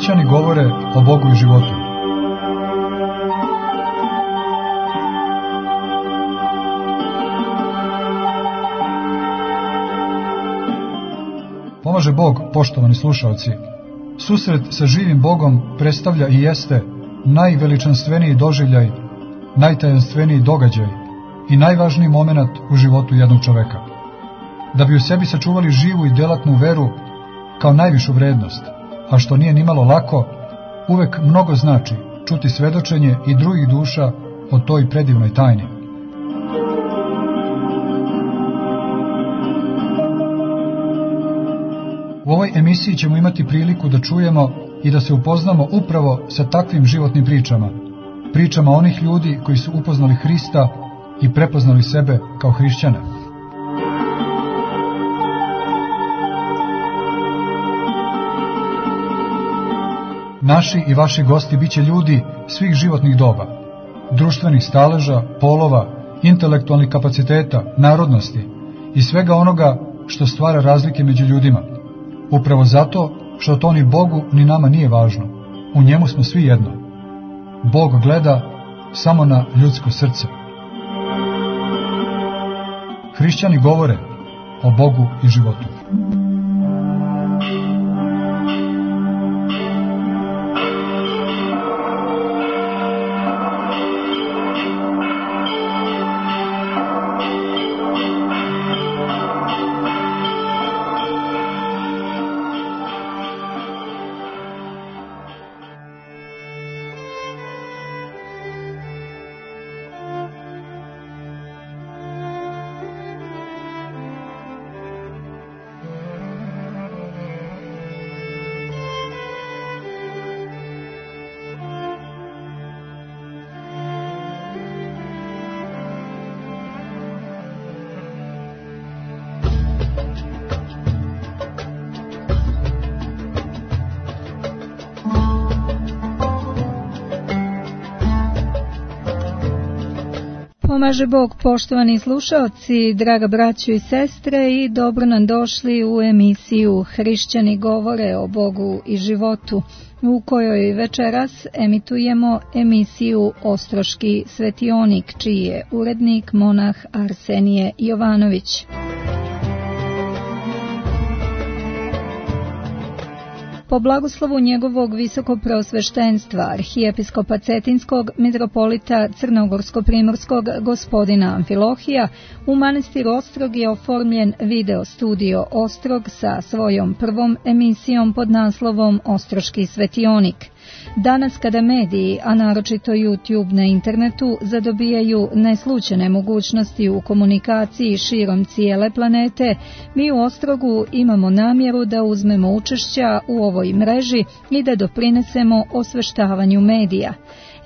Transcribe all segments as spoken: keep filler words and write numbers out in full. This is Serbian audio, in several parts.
Hrišćani govore o Bogu i životu. Pomaže Bog, poštovani slušalci. Susret sa živim Bogom predstavlja i jeste najveličanstveniji doživljaj, najtajanstveniji događaj i najvažniji moment u životu jednog čoveka. Da bi u sebi sačuvali živu i delatnu veru kao najvišu vrednost, a što nije nimalo lako, uvek mnogo znači čuti svedočenje i drugih duša o toj predivnoj tajni. U ovoj emisiji ćemo imati priliku da čujemo i da se upoznamo upravo sa takvim životnim pričama, pričama onih ljudi koji su upoznali Hrista i prepoznali sebe kao hrišćane. Naši i vaši gosti biće ljudi svih životnih doba, društvenih staleža, polova, intelektualnih kapaciteta, narodnosti i svega onoga što stvara razlike među ljudima. Upravo zato što to ni Bogu ni nama nije važno. U njemu smo svi jedno. Bog gleda samo na ljudsko srce. Hrišćani govore o Bogu i životu. Pomaže Bog, poštovani slušaoci, draga braćo i sestre, i dobro nam došli u emisiju Hrišćani govore o Bogu i životu, u kojoj večeras emitujemo emisiju Ostroški svetionik, čiji je urednik monah Arsenije Jovanović. Po blagoslovu njegovog visokopreosveštenstva, arhijepiskopa Cetinskog, mitropolita Crnogorsko-primorskog gospodina Amfilohija, u manastiru Ostrog je oformljen video studio Ostrog sa svojom prvom emisijom pod naslovom Ostroški svetionik. Danas kada mediji, a naročito YouTube na internetu, zadobijaju neslućene mogućnosti u komunikaciji širom cijele planete, mi u Ostrogu imamo namjeru da uzmemo učešća u ovoj mreži i da doprinesemo osveštavanju medija.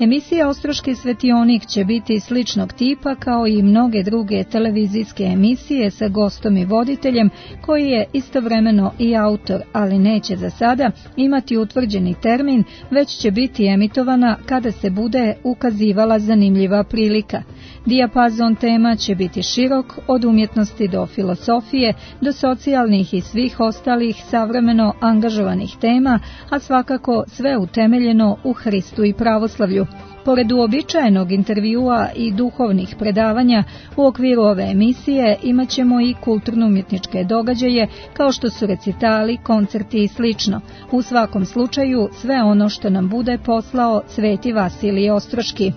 Emisija Ostroški svetionik će biti sličnog tipa kao i mnoge druge televizijske emisije sa gostom i voditeljem koji je istovremeno i autor, ali neće za sada imati utvrđeni termin, već će biti emitovana kada se bude ukazivala zanimljiva prilika. Dijapazon tema će biti širok, od umjetnosti do filosofije, do socijalnih i svih ostalih savremeno angažovanih tema, a svakako sve utemeljeno u Hristu i pravoslavlju. Pored uobičajenog intervjua i duhovnih predavanja, u okviru ove emisije imat ćemo i kulturno-umjetničke događaje kao što su recitali, koncerti i slično. U svakom slučaju sve ono što nam bude poslao Sveti Vasilij Ostroški.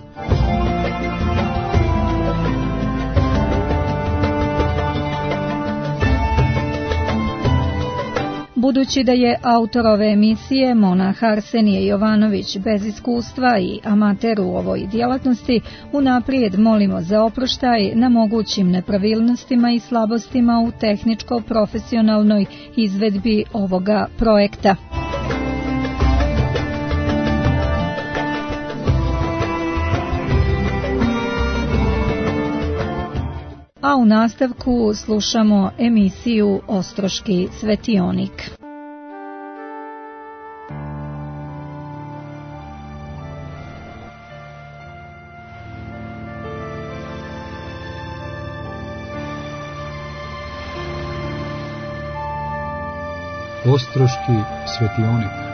Budući da je autor ove emisije monah Arsenije Jovanović bez iskustva i amater u ovoj djelatnosti, unaprijed molimo za oproštaj na mogućim nepravilnostima i slabostima u tehničko-profesionalnoj izvedbi ovoga projekta. A u nastavku slušamo emisiju Ostroški svetionik. Ostroški svetionik.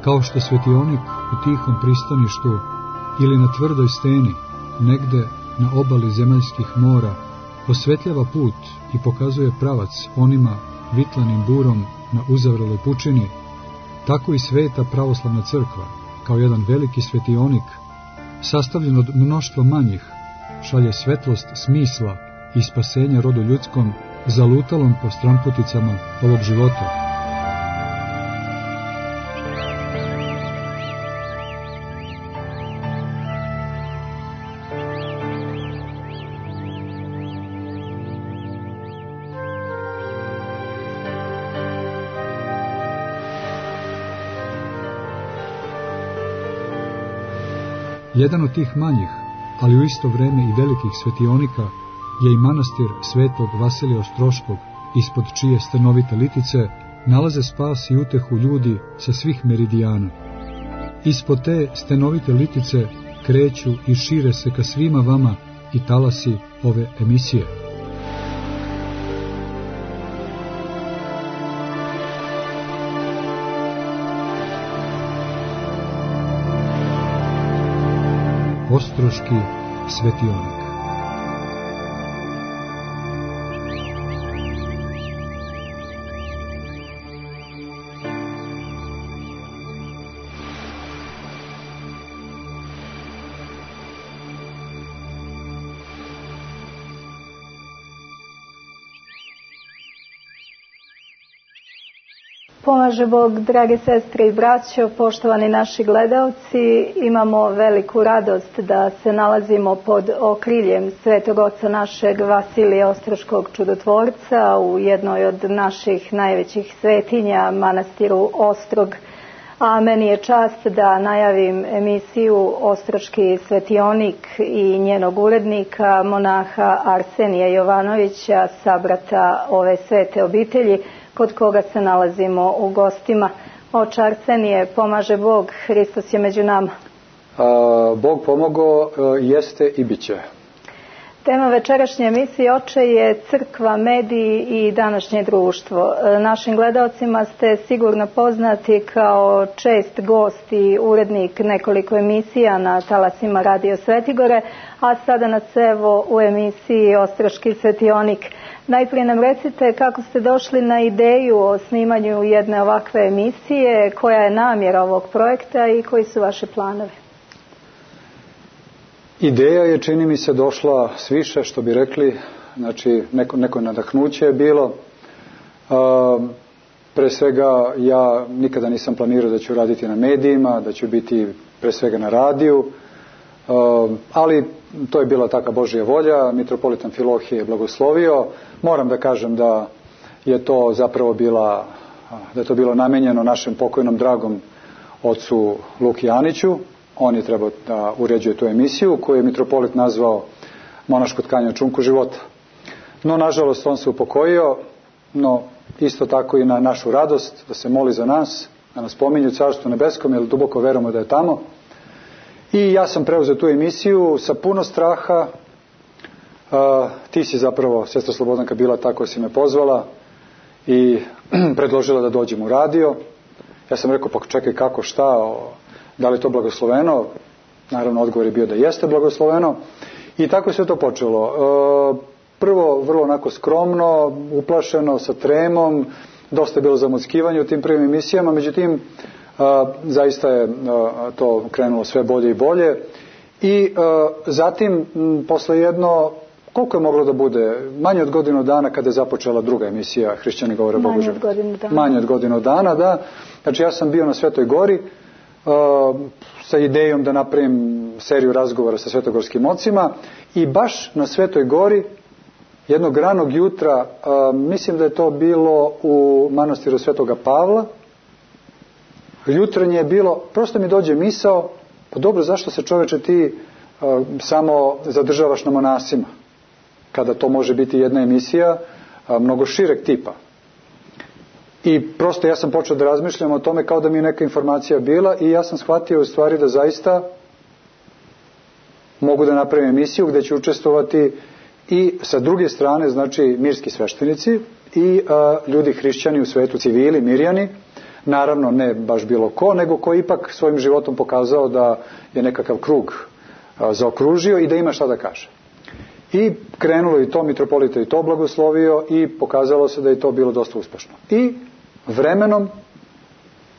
kao što svetionik u tihom pristaništu ili na tvrdoj steni, negde na obali zemaljskih mora, osvetljava put i pokazuje pravac onima vitlanim burom na uzavreloj pučini, tako i sveta pravoslavna crkva, kao jedan veliki svetionik, sastavljen od mnoštva manjih, šalje svetlost smisla i spasenja rodu ljudskom, zalutalom po stramputicama ovog života. Jedan od tih manjih, ali u isto vreme i velikih svetionika, je i manastir svetog Vasilija Ostroškog, ispod čije stanovite litice nalaze spas i utehu ljudi sa svih meridijana. Ispod te stanovite litice kreću i šire se ka svima vama i talasi ove emisije. Ostroški svetionik. Pomaže Bog, drage sestre i braćo, poštovani naši gledaoci, imamo veliku radost da se nalazimo pod okriljem svetog oca našeg Vasilija Ostroškog čudotvorca u jednoj od naših najvećih svetinja, manastiru Ostrog. A meni je čast da najavim emisiju Ostroški svetionik i njenog urednika, monaha Arsenija Jovanovića, sabrata ove svete obitelji, kod koga se nalazimo u gostima. Oče Arsenije, pomaže Bog, Hristos je među nama. A, Bog pomogao, jeste i bit će. Tema večerašnje emisije, oče, je crkva, mediji i današnje društvo. Našim gledaocima ste sigurno poznati kao čest gost i urednik nekoliko emisija na talasima Radio Svetigore, a sada nas evo u emisiji Ostroški svetionik. Najprije nam recite kako ste došli na ideju o snimanju jedne ovakve emisije, koja je namjera ovog projekta i koji su vaši planovi? Ideja je, čini mi se, došla sviše, što bi rekli, znači neko, neko nadahnuće je bilo. Uh, pre svega ja nikada nisam planirao da ću raditi na medijima, da ću biti pre svega na radiju, uh, ali to je bila taka Božja volja, mitropolit Amfilohije je blagoslovio. Moram da kažem da je to zapravo bila, da je to bilo namenjeno našem pokojnom dragom ocu Luki Aniću. On je trebao da uređuje tu emisiju koju je mitropolit nazvao Monaško tkanje o čunku života. No, nažalost, on se upokojio, no isto tako i na našu radost, da se moli za nas, da nas pominju u Carstvu nebeskom, jer duboko verujemo da je tamo. I ja sam preuzeo tu emisiju sa puno straha. Uh, ti si zapravo, sestra Slobodanka, bila ta koja si me pozvala i predložila da dođem u radio. Ja sam rekao, pa čekaj, kako, šta, o, da li je to blagosloveno? Naravno, odgovor je bio da jeste blagosloveno. I tako je sve to počelo. Uh, prvo, vrlo onako skromno, uplašeno, sa tremom, dosta je bilo zamuckivanja u tim prvim emisijama, međutim, uh, zaista je uh, to krenulo sve bolje i bolje. I uh, zatim, m, posle jedno, koliko je moglo da bude? Manje od godinu dana kada je započela druga emisija Hrišćani govore Bogu život. Manje od godinu dana. Manje od godinu dana, da. Znači ja sam bio na Svetoj gori uh, sa idejom da napravim seriju razgovora sa svetogorskim ocima i baš na Svetoj gori jednog ranog jutra, uh, mislim da je to bilo u manastiru Svetoga Pavla, jutranje je bilo, prosto mi dođe misao, pa dobro, zašto se čoveče ti uh, samo zadržavaš na monasima, kada to može biti jedna emisija uh, mnogo šireg tipa. I prosto ja sam počeo da razmišljam o tome kao da mi je neka informacija bila i ja sam shvatio u stvari da zaista mogu da napravim emisiju gde ću učestvovati i sa druge strane, znači mirski sveštenici i uh, ljudi hrišćani u svetu, civili, mirjani, naravno ne baš bilo ko, nego ko ipak svojim životom pokazao da je nekakav krug zaokružio i da ima šta da kaže. I krenulo i to, mitropolita i to blagoslovio i pokazalo se da je to bilo dosta uspešno. I vremenom,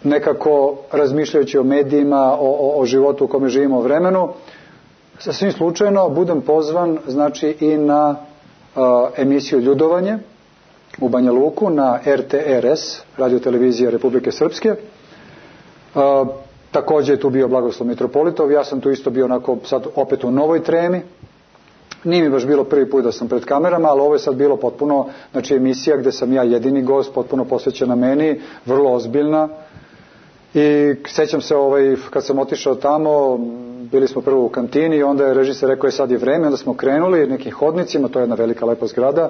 nekako razmišljajući o medijima, o, o, o životu u kome živimo, o vremenu, sasvim slučajno budem pozvan, znači, i na uh, emisiju Ljudovanje u Banja Luku, na er te er es, radiotelevizija Republike Srpske. Uh, također je tu bio blagoslov mitropolitov, ja sam tu isto bio onako sad opet u novoj tremi. Nije mi baš bilo prvi put da sam pred kamerama, ali ovo je sad bilo potpuno, znači, emisija gde sam ja jedini gost, potpuno posvećena meni, vrlo ozbiljna. I sećam se, ovaj, kad sam otišao tamo, bili smo prvo u kantini i onda je režiser rekao je sad je vreme, onda smo krenuli nekim hodnicima, to je jedna velika lepa zgrada,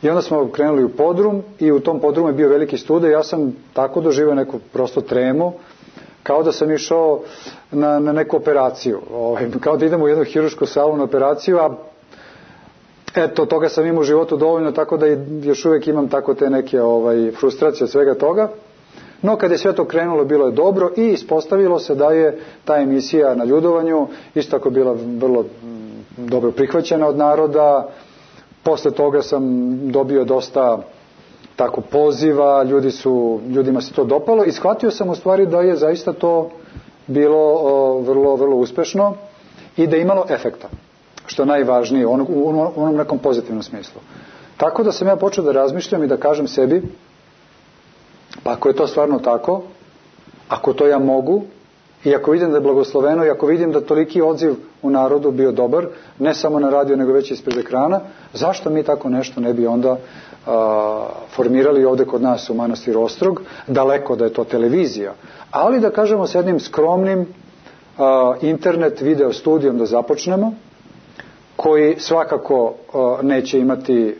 i onda smo krenuli u podrum i u tom podrumu je bio veliki studio i ja sam tako doživio neku prosto tremu, kao da sam išao na, na neku operaciju, ovaj, kao da idem u jednu hirušku salu na operaciju, a eto, toga sam imao u životu dovoljno, tako da još uvijek imam tako te neke ovaj, frustracije od svega toga. No, kad je sve to krenulo, bilo je dobro i ispostavilo se da je ta emisija na Ljudovanju isto tako bila vrlo dobro prihvaćena od naroda. Posle toga sam dobio dosta tako poziva, ljudi su, ljudima se to dopalo i shvatio sam u stvari da je zaista to bilo o, vrlo, vrlo uspešno i da je imalo efekta, što je najvažnije u onom, u onom nekom pozitivnom smislu. Tako da sam ja počeo da razmišljam i da kažem sebi, pa ako je to stvarno tako, ako to ja mogu, i ako vidim da je blagosloveno, i ako vidim da toliki odziv u narodu bio dobar, ne samo na radio, nego već ispred ekrana, zašto mi tako nešto ne bi onda a, formirali ovde kod nas u manastiru Ostrog, daleko da je to televizija, ali da kažemo s jednim skromnim a, internet video studijom da započnemo, koji svakako a, neće imati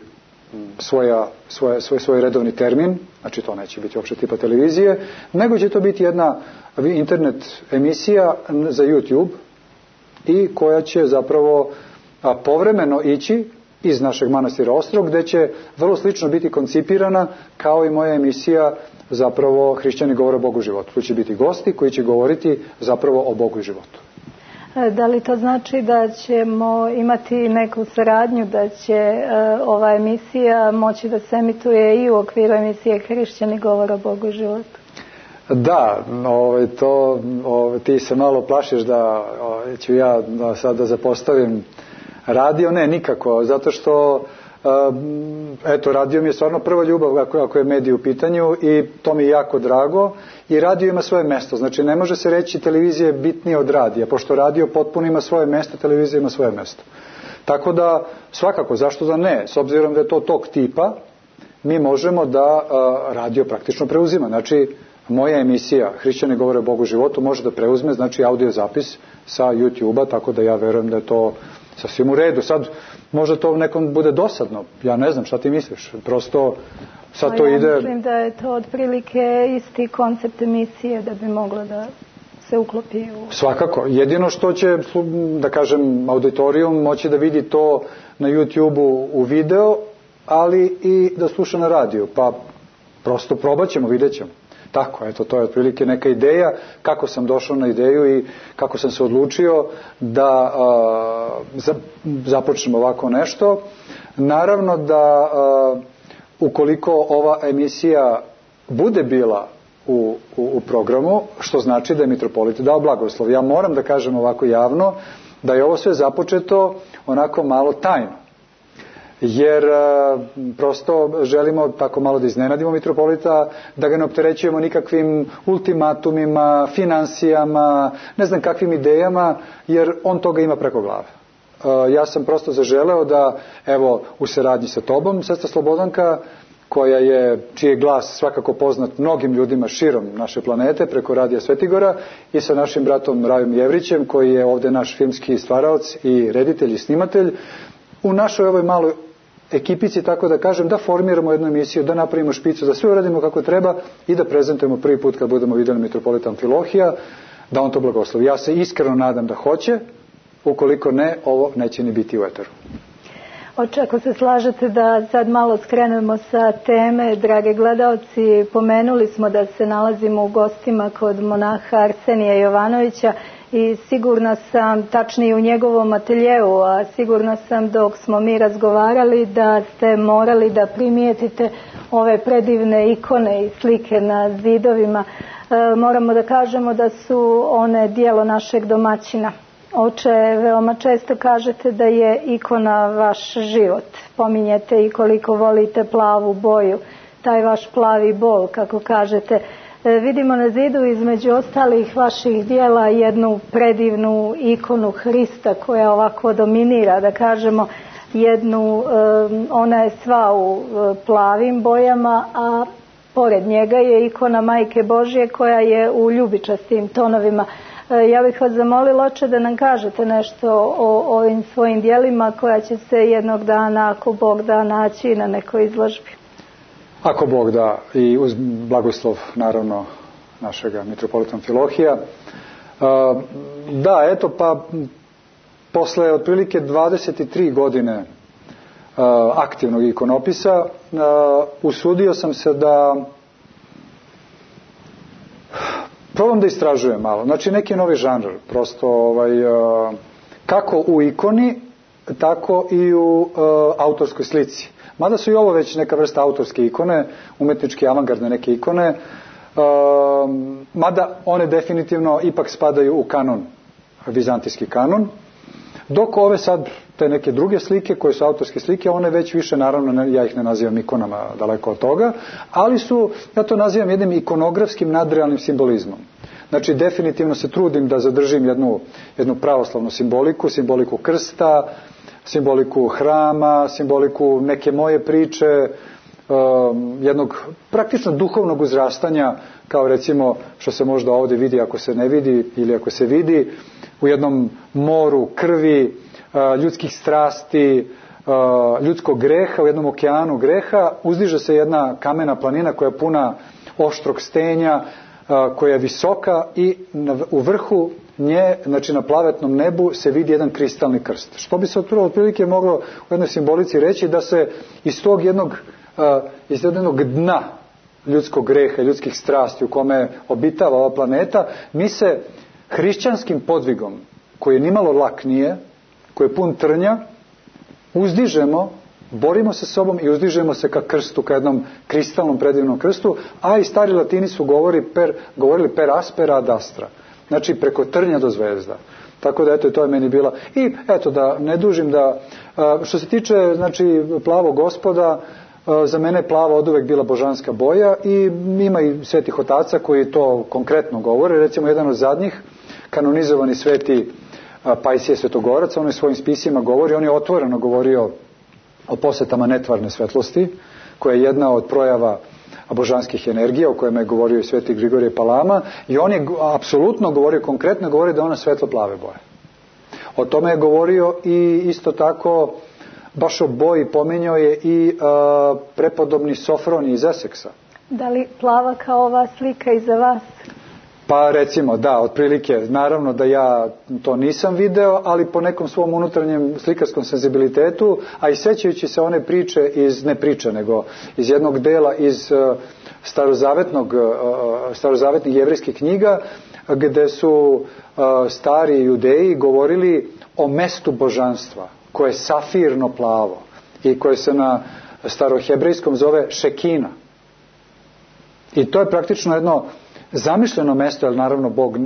svoja, svoje, svoj, svoj redovni termin, znači to neće biti uopšte tipa televizije, nego će to biti jedna internet emisija za YouTube i koja će zapravo a, povremeno ići iz našeg manastira Ostrog, gde će vrlo slično biti koncipirana kao i moja emisija zapravo Hrišćani govore o Bogu i životu. Tu će biti gosti koji će govoriti zapravo o Bogu i životu. Da li to znači da ćemo imati neku saradnju, da će uh, ova emisija moći da se emituje i u okviru emisije Hrišćani govore o Bogu i životu? Da, ovaj, to, ovaj, ti se malo plašiš da ovaj, ću ja da, sad da zapostavim radio, ne, nikako, zato što um, eto, radio mi je stvarno prva ljubav ako, ako je medij u pitanju i to mi je jako drago i radio ima svoje mesto, znači ne može se reći televizija je bitnija od radija, pošto radio potpuno ima svoje mesto, televizija ima svoje mesto. Tako da, svakako, zašto da ne, s obzirom da je to tog tipa, mi možemo da uh, radio praktično preuzima, znači moja emisija Hrišćani govore o Bogu i životu može da preuzme, znači audio zapis sa YouTube-a, tako da ja verujem da je to sasvim u redu. Sad, možda to nekom bude dosadno, ja ne znam šta ti misliš, prosto sad to ja ide... Ja mislim da je to otprilike isti koncept emisije da bi moglo da se uklopi u... Svakako, jedino što će, da kažem, auditorijum moći da vidi to na YouTube-u u video, ali i da sluša na radiju, pa prosto probat ćemo, vidjet ćemo. Tako, eto, to je otprilike neka ideja, kako sam došao na ideju i kako sam se odlučio da a, za, započnem ovako nešto. Naravno da a, ukoliko ova emisija bude bila u, u, u programu, što znači da je mitropolit dao blagoslov. Ja moram da kažem ovako javno da je ovo sve započeto onako malo tajno. Jer a, prosto želimo tako malo da iznenadimo mitropolita, da ga ne opterećujemo nikakvim ultimatumima, finansijama, ne znam kakvim idejama, jer on toga ima preko glave. A, ja sam prosto zaželeo da, evo, u saradnji sa tobom, sestra Slobodanka, koja je, čiji je glas svakako poznat mnogim ljudima širom naše planete, preko Radija Svetigora, i sa našim bratom Rajom Jevrićem, koji je ovde naš filmski stvaraoc i reditelj i snimatelj, u našoj ovoj maloj ekipici, tako da kažem, da formiramo jednu emisiju, da napravimo špicu, da sve uradimo kako treba i da prezentujemo prvi put kad budemo vidjeli mitropolita Amfilohija, da on to blagoslovi. Ja se iskreno nadam da hoće, ukoliko ne, ovo neće ni biti u eteru. Oče, ako se slažete da sad malo skrenemo sa teme, drage gledaoci, pomenuli smo da se nalazimo u gostima kod monaha Arsenija Jovanovića i sigurna sam, tačnije u njegovom ateljeu, a sigurna sam dok smo mi razgovarali da ste morali da primijetite ove predivne ikone i slike na zidovima. E, moramo da kažemo da su one dijelo našeg domaćina. Oče, veoma često kažete da je ikona vaš život. Pominjete i koliko volite plavu boju, taj vaš plavi bol, kako kažete. E, vidimo na zidu između ostalih vaših dijela jednu predivnu ikonu Hrista koja ovako dominira, da kažemo, jednu, e, ona je sva u e, plavim bojama, a pored njega je ikona Majke Božje koja je u ljubičastim tonovima. Ja bih vas zamolila, oče, da nam kažete nešto o ovim svojim dijelima koja će se jednog dana, ako Bog da, naći na nekoj izložbi. Ako Bog da, i uz blagoslov naravno našega mitropolita Amfilohija. Da, eto, pa posle otprilike dvadeset tri godine aktivnog ikonopisa usudio sam se da probam da istražujem malo. Znači neki novi žanr, prosto ovaj, kako u ikoni, tako i u uh, autorskoj slici. Mada su i ovo već neka vrsta autorske ikone, umetničke avangardne neke ikone, uh, mada one definitivno ipak spadaju u kanon, vizantijski kanon, dok ove sad, te neke druge slike koje su autorske slike, one već više, naravno, ja ih ne nazivam ikonama, daleko od toga, ali su, ja to nazivam jednim ikonografskim nadrealnim simbolizmom. Znači, definitivno se trudim da zadržim jednu, jednu pravoslavnu simboliku, simboliku krsta, simboliku hrama, simboliku neke moje priče, um, jednog praktično duhovnog uzrastanja, kao recimo što se možda ovdje vidi ako se ne vidi ili ako se vidi, u jednom moru krvi, ljudskih strasti, ljudskog greha, u jednom okeanu greha, uzdiže se jedna kamena planina koja je puna oštrog stenja, koja je visoka i u vrhu nje, znači na plavetnom nebu, se vidi jedan kristalni krst. Što bi se otprilike moglo u jednoj simbolici reći da se iz tog jednog, iz jednog dna ljudskog greha, ljudskih strasti u kome obitava ova planeta, mi se hrišćanskim podvigom, koji nimalo lak nije, koji je pun trnja, uzdižemo, borimo se sobom i uzdižemo se ka krstu, ka jednom kristalnom predivnom krstu, a i stari Latini su govori per, govorili per aspera ad astra, znači preko trnja do zvezda. Tako da eto, to je meni bila. I eto, da ne dužim, da što se tiče znači plavog Gospoda, za mene je plava oduvek bila božanska boja i ima i svetih otaca koji to konkretno govore. Recimo jedan od zadnjih, kanonizovani sveti Pajsije Svetogorac, on je svojim spisima govori, on je otvoreno govorio o posetama netvarne svetlosti, koja je jedna od projava božanskih energija, o kojima je govorio i sveti Grigorije Palama, i on je apsolutno govorio, konkretno govorio da je ona svetlo plave boje. O tome je govorio i isto tako, baš o boji pominjao je i a, prepodobni Sofroni iz Eseksa. Da li plava kao ova slika iza vas? Pa recimo, da, otprilike, naravno da ja to nisam video, ali po nekom svom unutarnjem slikarskom senzibilitetu, a i sećajući se one priče iz, ne priče, nego iz jednog dela iz uh, starozavetnog, uh, starozavetnih jevrijskih knjiga, gde su uh, stari judeji govorili o mestu božanstva, koje je safirno plavo i koje se na starohebrejskom zove Šekina. I to je praktično jedno zamišljeno mesto, jer naravno Bog e,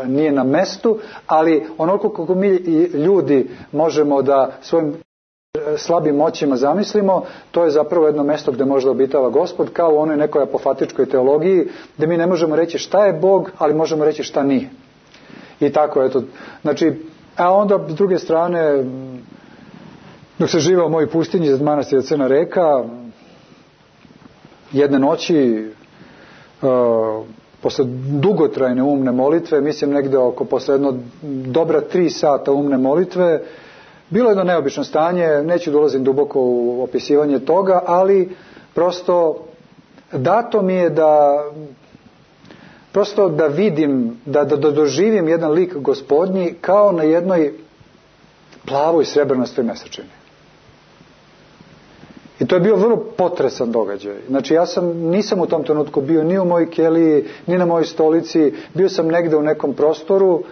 nije na mestu, ali onoliko kako mi ljudi možemo da svojim slabim moćima zamislimo, to je zapravo jedno mesto gde može da obitava Gospod, kao u onoj nekoj apofatičkoj teologiji, gde mi ne možemo reći šta je Bog, ali možemo reći šta nije. I tako, eto, znači, a onda s druge strane, dok se živeo u mojoj pustinji za manastira Crna reka, jedne noći, Uh, posle dugotrajne umne molitve, mislim negde oko posle jedno dobra tri sata umne molitve, bilo je jedno neobično stanje, neću dolazim duboko u opisivanje toga, ali prosto dato mi je da prosto da vidim, da, da, da doživim jedan lik Gospodnji kao na jednoj plavoj srebrnastoj mesečini. to je bio vrlo potresan događaj. Znači ja sam, nisam u tom trenutku bio ni u mojoj keliji, ni na mojoj stolici, bio sam negde u nekom prostoru,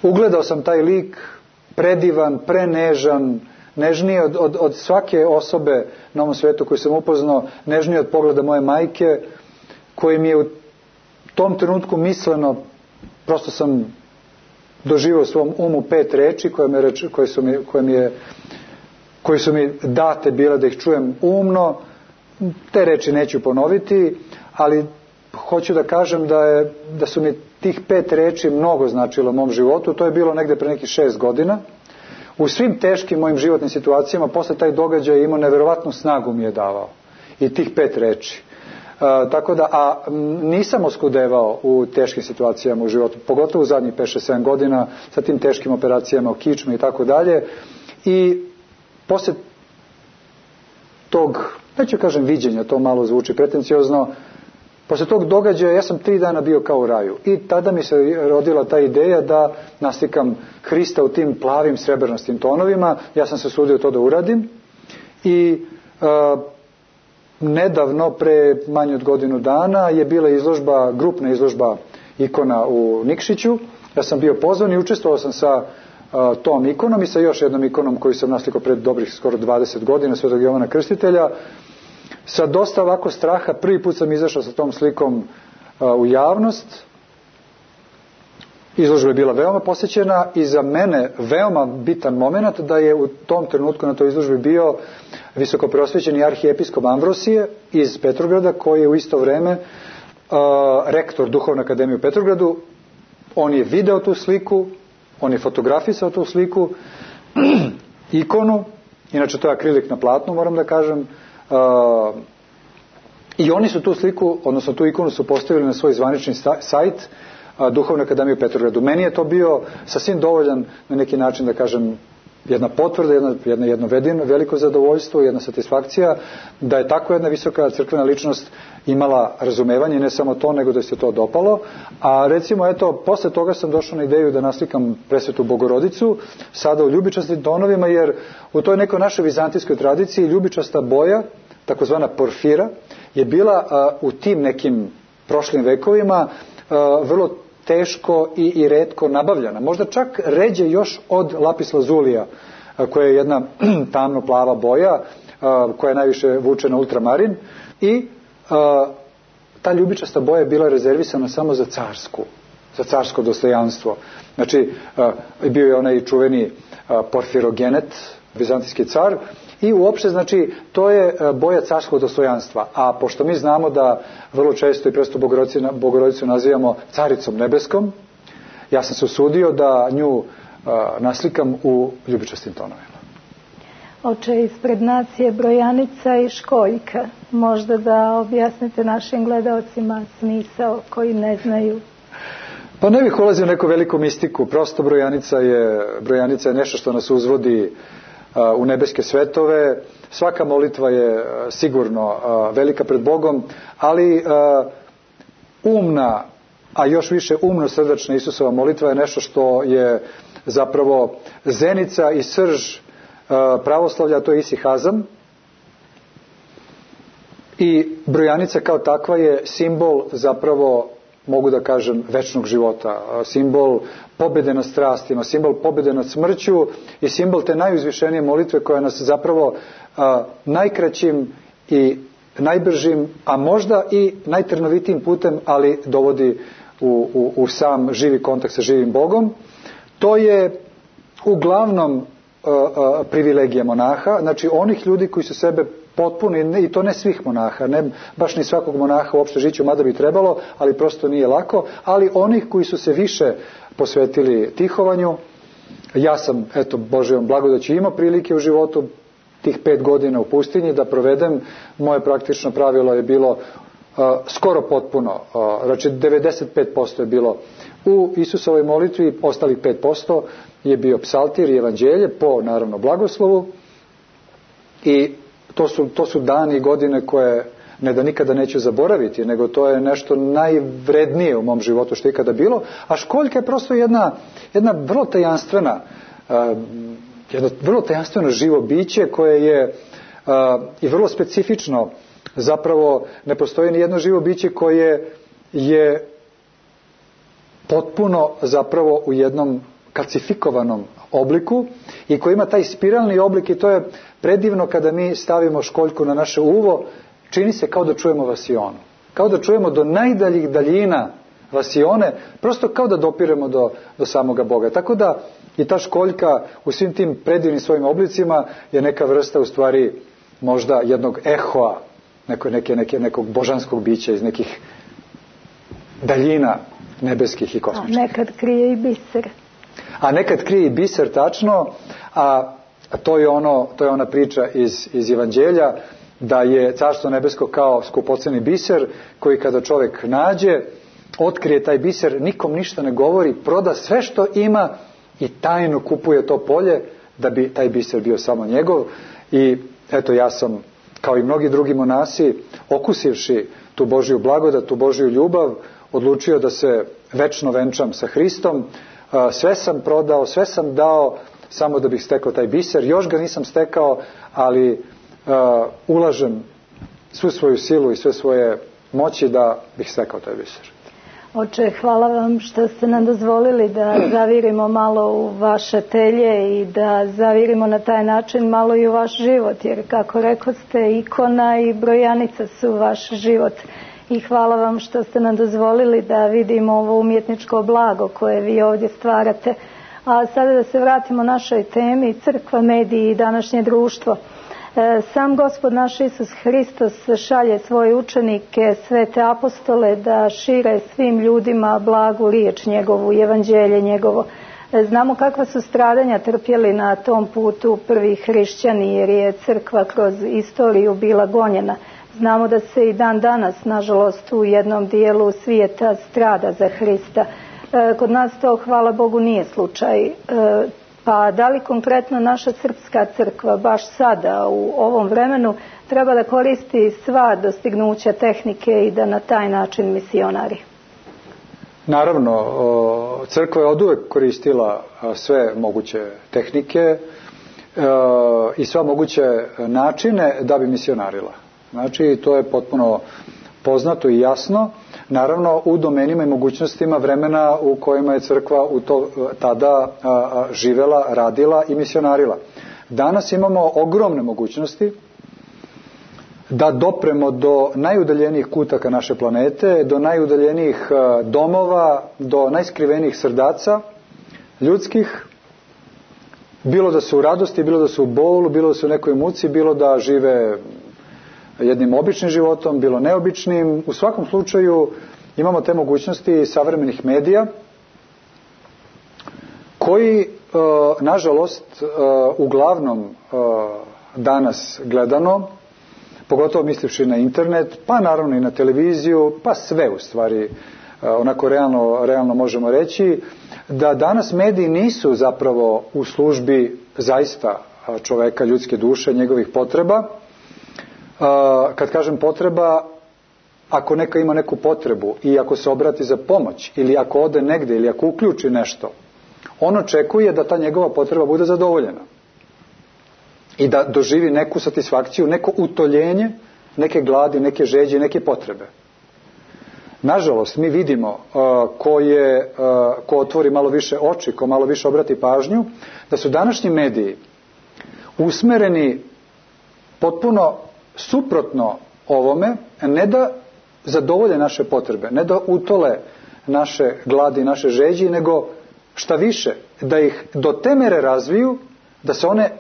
ugledao sam taj lik, predivan, prenežan, nežniji od, od, od svake osobe na ovom svetu koju sam upoznao, nežniji od pogleda moje majke, koji mi je u tom trenutku misleno, prosto sam doživio u svom umu pet reči koje, me reč, koje, su mi, koje, mi je, koje su mi date bile da ih čujem umno. Te reči neću ponoviti, ali hoću da kažem da, je, da su mi tih pet reči mnogo značilo u mom životu. To je bilo negde pre nekih šest godina. U svim teškim mojim životnim situacijama posle taj događaj imao neverovatnu snagu mi je davao. I tih pet reči. Uh, tako da, a nisam oskudevao u teškim situacijama u životu, pogotovo u zadnjih pet šest sedam godina sa tim teškim operacijama o kičmi i tako dalje. I posle tog, neću kažem viđenja, to malo zvuči pretenciozno, posle tog događaja ja sam tri dana bio kao u raju. I tada mi se rodila ta ideja da naslikam Hrista u tim plavim srebrnastim tonovima. Ja sam se usudio to da uradim. I uh, nedavno, pre manje od godinu dana, je bila izložba, grupna izložba ikona u Nikšiću. Ja sam bio pozvan i učestvovao sam sa uh, tom ikonom i sa još jednom ikonom koju sam naslikao pred dobrih skoro dvadeset godina, Svetog Jovana Krstitelja. Sa dosta ovako straha, prvi put sam izašao sa tom slikom uh, u javnost. Izložba je bila veoma posjećena i za mene veoma bitan moment da je u tom trenutku na toj izložbi bio visokopreosvećeni arhijepiskop Amvrosije iz Petrograda, koji je u isto vreme uh, rektor Duhovne akademije u Petrogradu. On je video tu sliku, on je fotografisao tu sliku, ikonu, inače to je akrilik na platnu, moram da kažem, uh, i oni su tu sliku, odnosno tu ikonu su postavili na svoj zvanični sajt Duhovne akademije u Petrogradu. Meni je to bio sasvim dovoljan na neki način da kažem jedna potvrda, jedna, jedna, jedno vedino, veliko zadovoljstvo, jedna satisfakcija da je tako jedna visoka crkvena ličnost imala razumevanje, ne samo to, nego da se to dopalo. A recimo, eto, posle toga sam došao na ideju da naslikam Presvetu Bogorodicu, sada u ljubičastim tonovima, jer u toj nekoj našoj vizantijskoj tradiciji ljubičasta boja, takozvana porfira, je bila uh, u tim nekim prošlim vekovima uh, vrlo teško i, i retko nabavljana. Možda čak ređe još od lapis lazulija, koja je jedna tamno plava boja, koja je najviše vuče na ultramarin, i a, ta ljubičasta boja je bila rezervisana samo za carsku, za carsko dostojanstvo. Znači, a, bio je onaj čuveni a, Porfirogenet, vizantijski car, i uopšte, znači, to je boja carskog dostojanstva. A pošto mi znamo da vrlo često i Presvetu Bogorodicu, Bogorodicu nazivamo caricom nebeskom, ja sam se usudio da nju uh, naslikam u ljubičastim tonovima. Oče, ispred nas je brojanica i školjka. Možda da objasnite našim gledaocima smisao koji ne znaju. Pa ne bih ulazio u neku veliku mistiku. Prosto brojanica je, brojanica je nešto što nas uzvodi u nebeske svetove. Svaka molitva je sigurno velika pred Bogom, ali umna, a još više umno srdačna Isusova molitva je nešto što je zapravo zenica i srž pravoslavlja, to je isihazam. I brojanica kao takva je simbol, zapravo mogu da kažem, večnog života, simbol pobjede nad strastima, simbol pobjede nad smrću i simbol te najuzvišenije molitve koja nas zapravo a, najkraćim i najbržim, a možda i najtrnovitijim putem, ali dovodi u, u, u sam živi kontakt sa živim Bogom. To je uglavnom a, a, privilegija monaha, znači onih ljudi koji su sebe potpuno, i to ne svih monaha, ne baš ni svakog monaha uopšte žiću, mada bi trebalo, ali prosto nije lako, ali onih koji su se više posvetili tihovanju. Ja sam, eto, Božjom blagodaću imao prilike u životu tih pet godina u pustinji da provedem. Moje praktično pravilo je bilo uh, skoro potpuno, uh, znači devedeset pet posto je bilo u Isusovoj molitvi, ostalih pet posto je bio psaltir i evanđelje po, naravno, blagoslovu. I To su, to su dani i godine koje ne da nikada neću zaboraviti, nego to je nešto najvrednije u mom životu što je ikada bilo. A školjka je prosto jedna, jedna vrlo tajanstvena, uh, jedno vrlo tajanstveno živo biće koje je i vrlo specifično. Zapravo ne postoji ni jedno živo biće koje je potpuno zapravo u jednom kalcifikovanom obliku i koji ima taj spiralni oblik i to je predivno kada mi stavimo školjku na naše uvo, čini se kao da čujemo vasionu. Kao da čujemo do najdaljih daljina vasione, prosto kao da dopiremo do, do samoga Boga. Tako da i ta školjka u svim tim predivnim svojim oblicima je neka vrsta u stvari možda jednog ehoa, neko, neke, neke, nekog božanskog bića iz nekih daljina nebeskih i kosmičkih. A nekad krije i biser. A nekad krije i biser, tačno, a to je, ono, to je ona priča iz, iz Evanđelja, da je Carstvo nebesko kao skupoceni biser, koji kada čovjek nađe, otkrije taj biser, nikom ništa ne govori, proda sve što ima i tajno kupuje to polje, da bi taj biser bio samo njegov. I eto, ja sam, kao i mnogi drugi monasi, okusivši tu Božju blagodat, tu Božju ljubav, odlučio da se večno venčam sa Hristom. Sve sam prodao, sve sam dao samo da bih stekao taj biser. Još ga nisam stekao, ali uh, ulažem svu svoju silu i sve svoje moći da bih stekao taj biser. Oče, hvala vam što ste nam dozvolili da zavirimo malo u vaše telje i da zavirimo na taj način malo i u vaš život, jer kako rekoste, ikona i brojanica su vaš život. I hvala vam što ste nam dozvolili da vidimo ovo umjetničko blago koje vi ovdje stvarate. A sada da se vratimo našoj temi, crkva, mediji i današnje društvo. Sam Gospod naš Isus Hristos šalje svoje učenike, svete apostole, da šire svim ljudima blagu riječ njegovu, evanđelje njegovo. Znamo kakva su stradanja trpjeli na tom putu prvi hrišćani, jer je crkva kroz istoriju bila gonjena. Znamo da se i dan danas, nažalost, u jednom dijelu svijeta strada za Hrista. Kod nas to, hvala Bogu, nije slučaj. Pa da li konkretno naša srpska crkva baš sada u ovom vremenu treba da koristi sva dostignuća tehnike i da na taj način misionari? Naravno, crkva je oduvek koristila sve moguće tehnike i sva moguće načine da bi misionarila. Znači, to je potpuno poznato i jasno. Naravno, u domenima i mogućnostima vremena u kojima je crkva u to, tada a, a, živela, radila i misionarila. Danas imamo ogromne mogućnosti da dopremo do najudaljenijih kutaka naše planete, do najudaljenijih a, domova, do najskrivenijih srdaca ljudskih, bilo da su u radosti, bilo da su u bolu, bilo da su u nekoj muci, bilo da žive jednim običnim životom, bilo neobičnim. U svakom slučaju imamo te mogućnosti savremenih medija koji, nažalost, uglavnom danas gledano, pogotovo mislivši na internet, pa naravno i na televiziju, pa sve u stvari, onako realno, realno možemo reći, da danas mediji nisu zapravo u službi zaista čoveka, ljudske duše, njegovih potreba. Kad kažem potreba, ako neka ima neku potrebu i ako se obrati za pomoć ili ako ode negdje ili ako uključi nešto, on očekuje da ta njegova potreba bude zadovoljena i da doživi neku satisfakciju, neko utoljenje, neke gladi, neke žeđe, neke potrebe. Nažalost, mi vidimo uh, ko, je, uh, ko otvori malo više oči, ko malo više obrati pažnju, da su današnji mediji usmereni potpuno suprotno ovome, ne da zadovolje naše potrebe, ne da utole naše gladi, naše žeđi, nego šta više, da ih do te mere razviju da se one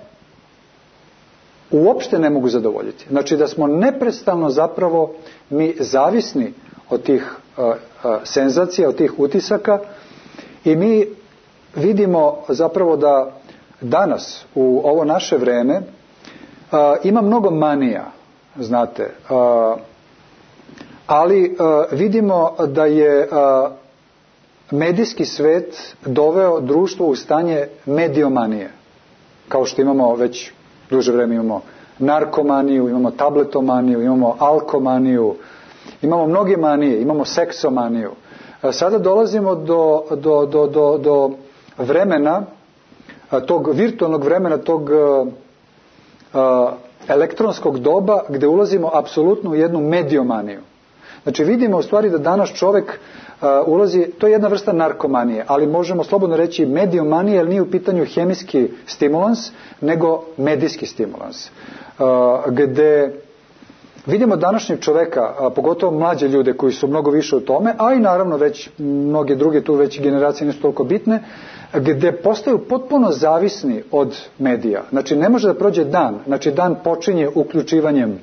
uopšte ne mogu zadovoljiti. Znači da smo neprestano zapravo mi zavisni od tih uh, uh, senzacija, od tih utisaka i mi vidimo zapravo da danas u ovo naše vreme uh, ima mnogo manija, znate, uh, ali uh, vidimo da je uh, medijski svet doveo društvo u stanje mediomanije. Kao što imamo već duže vreme, imamo narkomaniju, imamo tabletomaniju, imamo alkomaniju, imamo mnoge manije, imamo seksomaniju. Sada dolazimo do, do, do, do, do vremena, tog virtualnog vremena, tog elektronskog doba gdje ulazimo apsolutno u jednu mediomaniju. Znači vidimo u stvari da danas čovjek uh, ulazi, to je jedna vrsta narkomanije, ali možemo slobodno reći mediomanije, jer nije u pitanju hemijski stimulans, nego medijski stimulans. Uh, gdje vidimo današnjeg čovjeka, a pogotovo mlađe ljude koji su mnogo više u tome, a i naravno već mnoge druge tu već generacije nisu toliko bitne, gdje postaju potpuno zavisni od medija. Znači ne može da prođe dan, znači dan počinje uključivanjem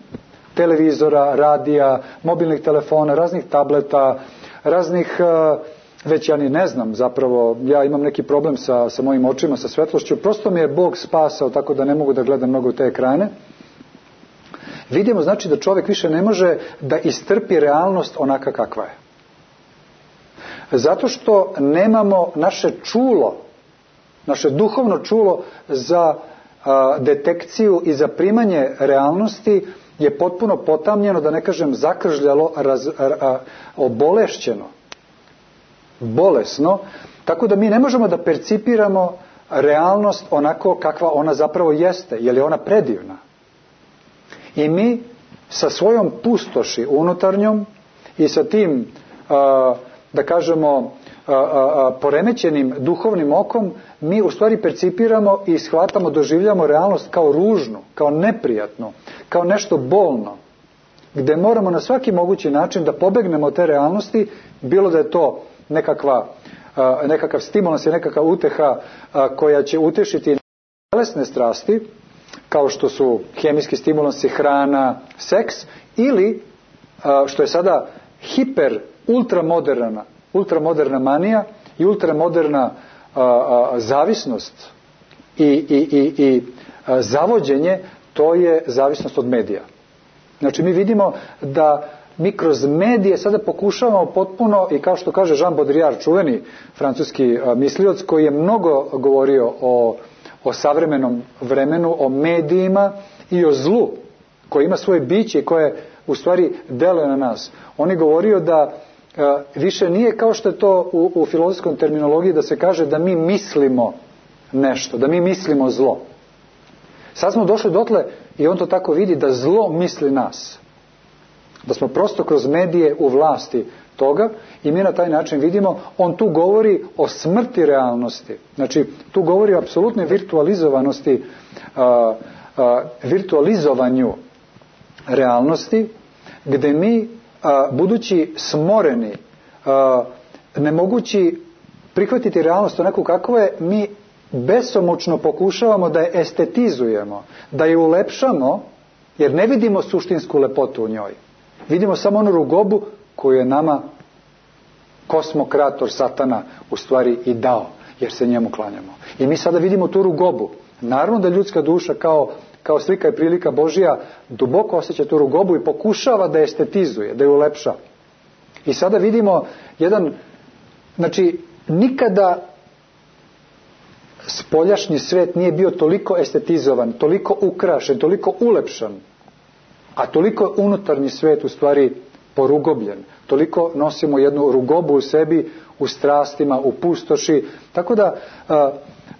televizora, radija, mobilnih telefona, raznih tableta, raznih, već ja ni ne znam zapravo, ja imam neki problem sa, sa mojim očima, sa svetlošću, prosto mi je Bog spasao tako da ne mogu da gledam mnogo u te ekrane. Vidimo znači da čovjek više ne može da istrpi realnost onaka kakva je. Zato što nemamo naše čulo, naše duhovno čulo za a, detekciju i za primanje realnosti je potpuno potamnjeno, da ne kažem zakržljalo, raz, a, a, obolešćeno, bolesno, tako da mi ne možemo da percipiramo realnost onako kakva ona zapravo jeste, jer je ona predivna. I mi sa svojom pustoši unutarnjom i sa tim, a, da kažemo, a, a, poremećenim duhovnim okom, mi u stvari percipiramo i shvatamo, doživljamo realnost kao ružnu, kao neprijatnu, kao nešto bolno, gdje moramo na svaki mogući način da pobegnemo od te realnosti, bilo da je to nekakva, a, nekakav stimulans i nekakva uteha a, koja će utešiti telesne strasti, kao što su hemijski stimulansi, hrana, seks, ili što je sada hiper, ultramoderna, ultramoderna manija i ultramoderna a, a, zavisnost i, i, i, i a, zavođenje, to je zavisnost od medija. Znači mi vidimo da mi kroz medije sada pokušavamo potpuno, i kao što kaže Jean Baudrillard, čuveni francuski a, mislioc, koji je mnogo govorio o o savremenom vremenu, o medijima i o zlu koje ima svoje biće i koje u stvari deluje na nas. On je govorio da e, više nije kao što je to u, u filozofskom terminologiji da se kaže da mi mislimo nešto, da mi mislimo zlo. Sad smo došli dotle i on to tako vidi da zlo misli nas. Da smo prosto kroz medije u vlasti toga i mi na taj način vidimo, on tu govori o smrti realnosti. Znači, tu govori o apsolutnoj virtualizovanosti, a, a, virtualizovanju realnosti, gdje mi, a, budući smoreni, a, ne mogući prihvatiti realnost onako kakva je, mi besomučno pokušavamo da je estetizujemo, da je ulepšamo, jer ne vidimo suštinsku lepotu u njoj. Vidimo samo onu rugobu koju je nama kosmokrator satana u stvari i dao, jer se njemu klanjamo. I mi sada vidimo tu rugobu. Naravno da ljudska duša kao, kao slika i prilika Božja duboko osjeća tu rugobu i pokušava da je estetizuje, da je ulepša. I sada vidimo jedan, znači nikada spoljašnji svet nije bio toliko estetizovan, toliko ukrašen, toliko ulepšan, a toliko je unutarnji svet u stvari porugobljen. Toliko nosimo jednu rugobu u sebi, u strastima, u pustoši. Tako da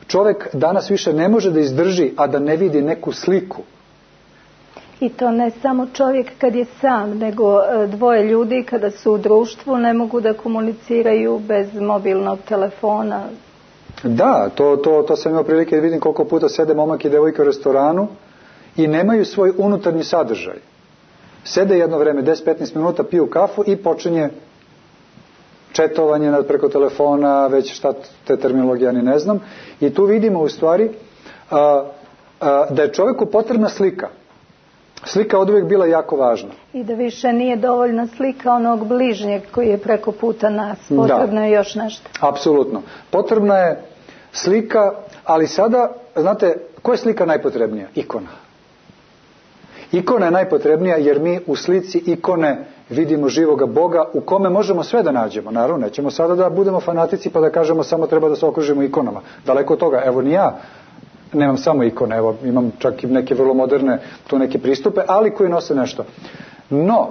čovjek danas više ne može da izdrži, a da ne vidi neku sliku. I to ne samo čovjek kad je sam, nego dvoje ljudi kada su u društvu ne mogu da komuniciraju bez mobilnog telefona. Da, to, to, to sam imao prilike da vidim koliko puta sede momak i devojka u restoranu i nemaju svoj unutarnji sadržaj. Sede jedno vreme, deset do petnaest minuta, piju kafu i počinje četovanje preko telefona, već šta te terminologije ni ne znam. I tu vidimo u stvari a, a, da je čovjeku potrebna slika. Slika od uvijek bila jako važna. I da više nije dovoljna slika onog bližnjeg koji je preko puta nas. Potrebno da. je još nešto. Apsolutno. Potrebna je slika, ali sada, znate, koja je slika najpotrebnija? Ikona. Ikona je najpotrebnija jer mi u slici ikone vidimo živoga Boga u kome možemo sve da nađemo. Naravno, nećemo sada da budemo fanatici pa da kažemo samo treba da se okružimo ikonama. Daleko od toga. Evo ni ja nemam samo ikone, evo imam čak i neke vrlo moderne tu neke pristupe, ali koji nose nešto. No,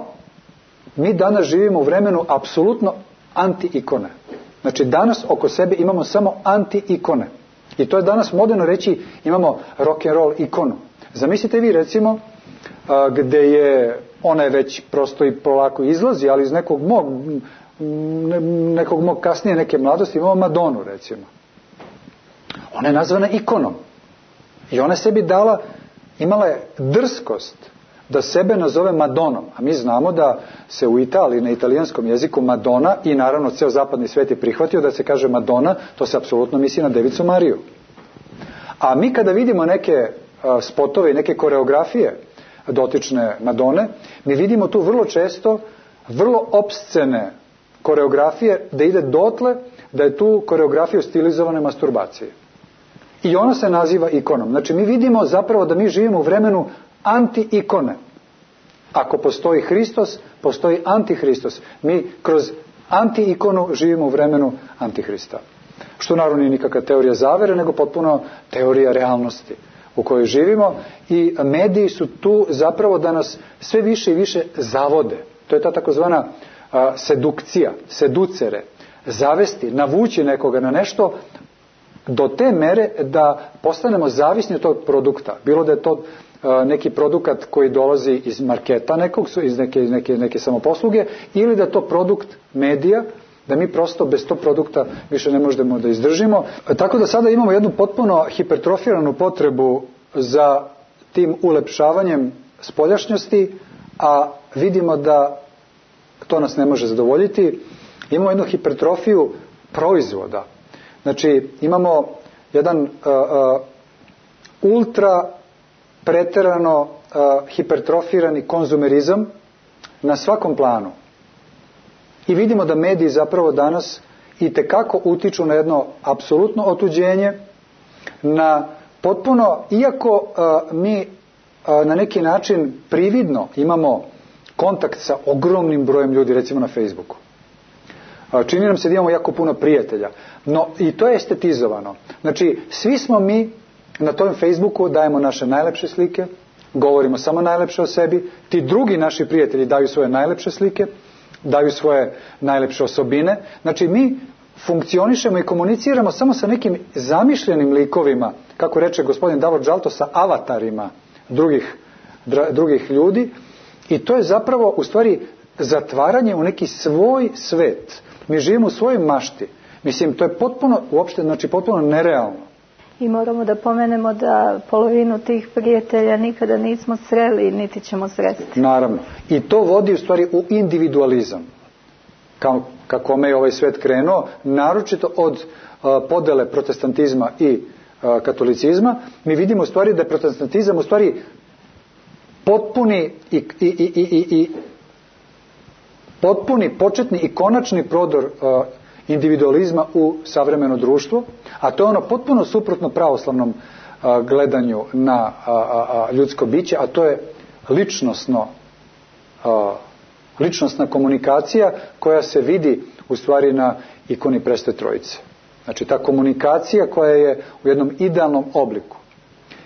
mi danas živimo u vremenu apsolutno anti-ikone. Znači danas oko sebe imamo samo anti-ikone. I to je danas moderno reći imamo rock and roll ikonu. Zamislite vi recimo gde je, ona je već prosto i polako izlazi, ali iz nekog mog, nekog mog kasnije neke mladosti imamo Madonu, recimo. Ona je nazvana ikonom. I ona sebi dala, imala je drskost da sebe nazove Madonom. A mi znamo da se u Italiji, na italijanskom jeziku, Madonna, i naravno ceo zapadni svet je prihvatio da se kaže Madonna, to se apsolutno misli na Devicu Mariju. A mi kada vidimo neke spotove i neke koreografije dotične Madone, mi vidimo tu vrlo često vrlo opscene koreografije, da ide dotle da je tu koreografija stilizovane masturbacije. I ona se naziva ikonom. Znači mi vidimo zapravo da mi živimo u vremenu anti-ikone. Ako postoji Hristos, postoji antihristos. Mi kroz anti-ikonu živimo u vremenu antihrista. Što naravno nije nikakva teorija zavere, nego potpuno teorija realnosti u kojoj živimo, i mediji su tu zapravo da nas sve više i više zavode. To je ta takozvana a, sedukcija, seducere, zavesti, navući nekoga na nešto do te mere da postanemo zavisni od tog produkta. Bilo da je to a, neki produkt koji dolazi iz marketa nekog, iz neke, neke, neke samoposluge, ili da je to produkt medija, da mi prosto bez tog produkta više ne možemo da izdržimo. Tako da sada imamo jednu potpuno hipertrofiranu potrebu za tim ulepšavanjem spoljašnjosti, a vidimo da to nas ne može zadovoljiti. Imamo jednu hipertrofiju proizvoda. Znači imamo jedan uh, uh, ultra preterano uh, hipertrofirani konzumerizam na svakom planu. I vidimo da mediji zapravo danas itekako utiču na jedno apsolutno otuđenje, na potpuno, iako uh, mi uh, na neki način prividno imamo kontakt sa ogromnim brojem ljudi, recimo na Facebooku. Uh, čini nam se da imamo jako puno prijatelja, no i to je estetizovano. Znači, svi smo mi na tom Facebooku, dajemo naše najlepše slike, govorimo samo najlepše o sebi, ti drugi naši prijatelji daju svoje najlepše slike, daju svoje najlepše osobine. Znači mi funkcionišemo i komuniciramo samo sa nekim zamišljenim likovima, kako reče gospodin Davor Džalto, sa avatarima drugih, dra, drugih ljudi, i to je zapravo u stvari zatvaranje u neki svoj svet. Mi živimo u svojoj mašti. Mislim, to je potpuno, uopšte, znači potpuno nerealno. I moramo da pomenemo da polovinu tih prijatelja nikada nismo sreli, niti ćemo sresti. Naravno. I to vodi u stvari u individualizam. Kao, kako me je ovaj svet krenuo, naročito od uh, podele protestantizma i uh, katolicizma, mi vidimo u stvari da je protestantizam u stvari potpuni i, i, i, i, i potpuni, početni i konačni prodor uh, individualizma u savremeno društvo, a to je ono potpuno suprotno pravoslavnom a, gledanju na a, a, a, ljudsko biće, a to je ličnosno, a, ličnosna komunikacija koja se vidi u stvari na ikoni Presvete Trojice. Znači ta komunikacija koja je u jednom idealnom obliku.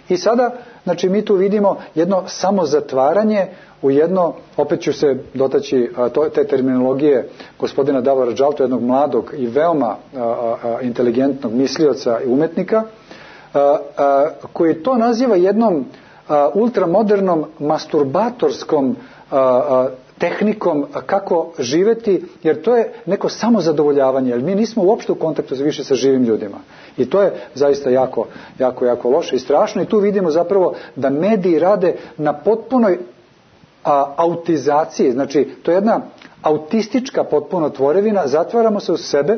I sada, znači mi tu vidimo jedno samozatvaranje u jedno, opet ću se dotaći a, to, te terminologije gospodina Davora Džalto, jednog mladog i veoma a, a, inteligentnog mislioca i umetnika, a, a, koji to naziva jednom a, ultramodernom masturbatorskom a, a, tehnikom kako živeti, jer to je neko samozadovoljavanje, jer mi nismo uopšte u kontaktu više sa živim ljudima. I to je zaista jako, jako, jako loše i strašno, i tu vidimo zapravo da mediji rade na potpunoj a, autizaciji, znači to je jedna autistička potpuno tvorevina, zatvaramo se u sebe,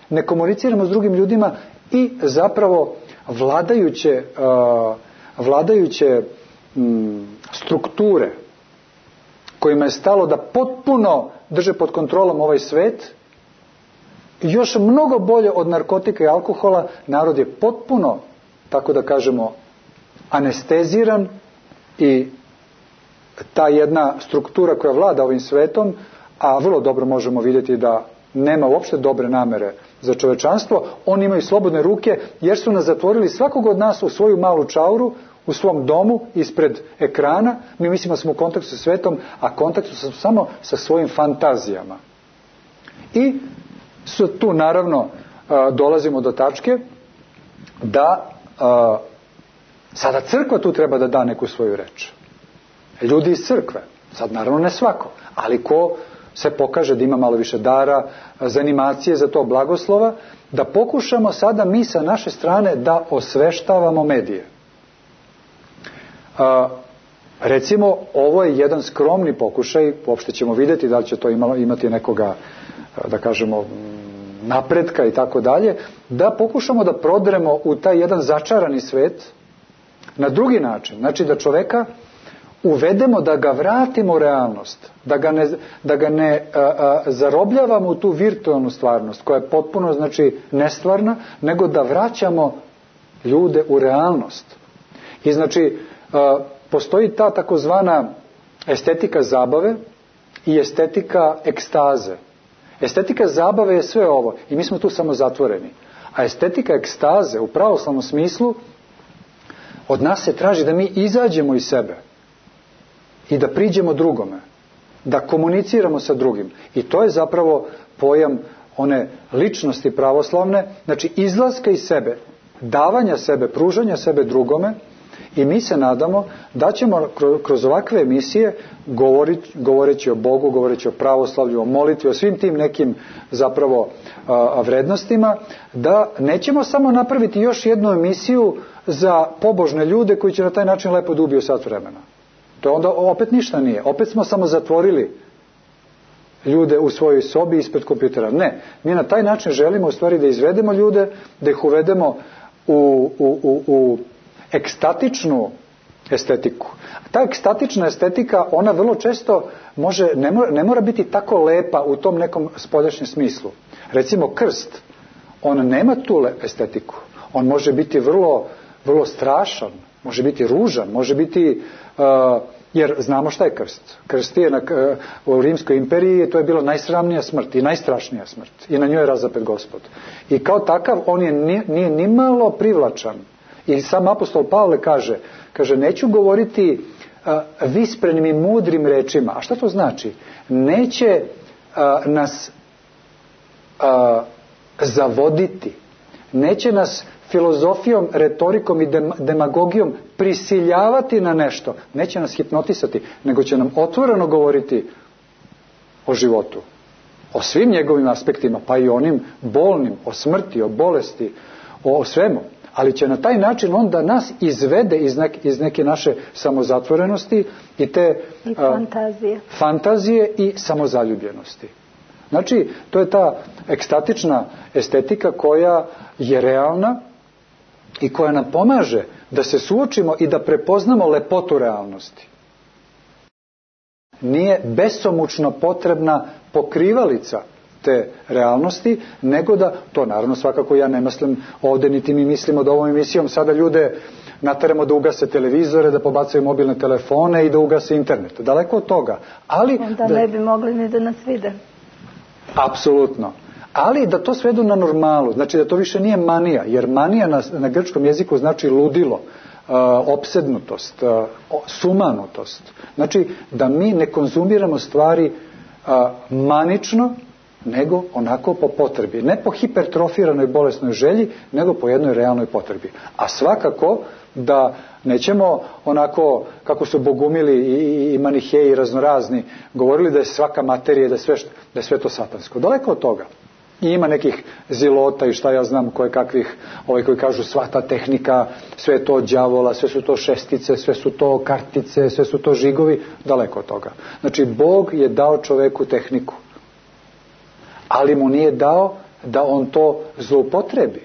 ne komuniciramo s drugim ljudima i zapravo vladajuće, a, vladajuće m, strukture kojima je stalo da potpuno drže pod kontrolom ovaj svet, još mnogo bolje od narkotika i alkohola, narod je potpuno, tako da kažemo, anesteziran, i ta jedna struktura koja vlada ovim svetom, a vrlo dobro možemo vidjeti da nema uopšte dobre namere za čovečanstvo, oni imaju slobodne ruke jer su nas zatvorili svakog od nas u svoju malu čauru, u svom domu, ispred ekrana. Mi mislimo da smo u kontaktu sa svetom, a kontaktu smo samo sa svojim fantazijama. I su tu naravno dolazimo do tačke da sada crkva tu treba da da neku svoju reč. ljudi iz crkve, sad naravno ne svako, ali ko se pokaže da ima malo više dara, za animacije, za to blagoslova, da pokušamo sada mi sa naše strane da osveštavamo medije. A, recimo, ovo je jedan skromni pokušaj, uopšte ćemo vidjeti da li će to imalo, imati nekoga, da kažemo, napretka i tako dalje, da pokušamo da prodremo u taj jedan začarani svet na drugi način. Znači da čoveka uvedemo, da ga vratimo u realnost, da ga ne, da ga ne a, a, zarobljavamo u tu virtualnu stvarnost koja je potpuno, znači, nestvarna, nego da vraćamo ljude u realnost. I znači a, postoji ta takozvana estetika zabave i estetika ekstaze. Estetika zabave je sve ovo i mi smo tu samo zatvoreni. A estetika ekstaze u pravoslavnom smislu od nas se traži da mi izađemo iz sebe i da priđemo drugome, da komuniciramo sa drugim. I to je zapravo pojam one ličnosti pravoslavne, znači izlaska iz sebe, davanja sebe, pružanja sebe drugome. I mi se nadamo da ćemo kroz ovakve emisije, govoreći o Bogu, govoreći o pravoslavlju, o molitvi, o svim tim nekim zapravo vrednostima, da nećemo samo napraviti još jednu emisiju za pobožne ljude koji će na taj način lepo da ubiju sat vremena. To onda opet ništa nije. Opet smo samo zatvorili ljude u svojoj sobi ispred kompjutera. Ne, mi na taj način želimo u stvari da izvedemo ljude, da ih uvedemo u, u, u, u ekstatičnu estetiku. Ta ekstatična estetika, ona vrlo često može, ne mora, ne mora biti tako lepa u tom nekom spoljašnjem smislu. Recimo krst, on nema tu estetiku. On može biti vrlo, vrlo strašan, može biti ružan, može biti, uh, jer znamo šta je krst. Krst je na, uh, u Rimskoj imperiji, to je bila najsramnija smrt i najstrašnija smrt. I na njoj je razapet Gospod. I kao takav, on je, nije, nije ni malo privlačan. I sam apostol Pavle kaže, kaže, neću govoriti uh, visprenim i mudrim rečima. A šta to znači? Neće uh, nas uh, zavoditi, neće nas filozofijom, retorikom i demagogijom prisiljavati na nešto, neće nas hipnotisati, nego će nam otvoreno govoriti o životu, o svim njegovim aspektima, pa i onim bolnim, o smrti, o bolesti, o, o svemu. Ali će na taj način on da nas izvede iz, nek, iz neke naše samozatvorenosti i te I fantazije. A, fantazije i samozaljubljenosti. Znači, to je ta ekstatična estetika koja je realna i koja nam pomaže da se suočimo i da prepoznamo lepotu realnosti. Nije besomučno potrebna pokrivalica te realnosti, nego da, to naravno svakako ja ne mislim ovdje, niti mi mislimo da ovom emisijom sada ljude nateramo da ugase televizore, da pobacaju mobilne telefone i da ugase internet. Daleko od toga. Ali onda da, ne bi mogli ni da nas vide. Apsolutno. Ali da to svedu na normalu, znači da to više nije manija, jer manija na, na grčkom jeziku znači ludilo, uh, opsednutost, uh, sumanutost. Znači da mi ne konzumiramo stvari uh, manično, nego onako po potrebi. Ne po hipertrofiranoj bolesnoj želji, nego po jednoj realnoj potrebi. A svakako da nećemo onako, kako su bogumili i, i maniheji raznorazni, govorili da je svaka materija, da je sve, da je sve to satansko. Daleko od toga. I ima nekih zilota i šta ja znam koje kakvih, ovaj koji kažu sva ta tehnika, sve je to od đavola, sve su to šestice, sve su to kartice, sve su to žigovi, daleko od toga. Znači, Bog je dao čoveku tehniku, ali mu nije dao da on to zloupotrebi,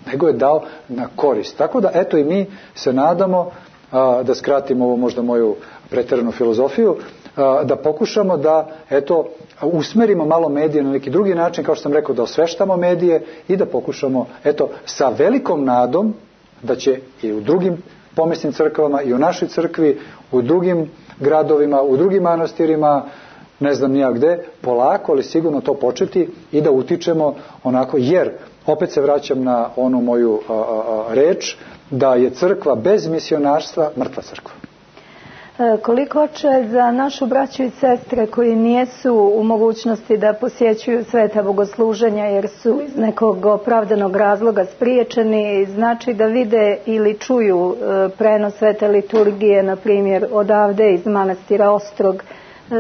nego je dao na korist. Tako da, eto, i mi se nadamo, a, da skratimo ovo možda moju preteranu filozofiju, a, da pokušamo da, eto, usmerimo malo medije na neki drugi način, kao što sam rekao, da osveštamo medije i da pokušamo, eto, sa velikom nadom da će i u drugim pomesnim crkvama i u našoj crkvi, u drugim gradovima, u drugim manastirima, ne znam nija gde, polako, ali sigurno to početi i da utičemo onako, jer opet se vraćam na onu moju a, a, a, reč, da je crkva bez misionarstva mrtva crkva. Koliko će za našu braću i sestre koji nijesu u mogućnosti da posjećuju sveta bogosluženja jer su iz nekog opravdanog razloga spriječeni, znači da vide ili čuju prenos svete liturgije, na primjer odavde iz manastira Ostrog,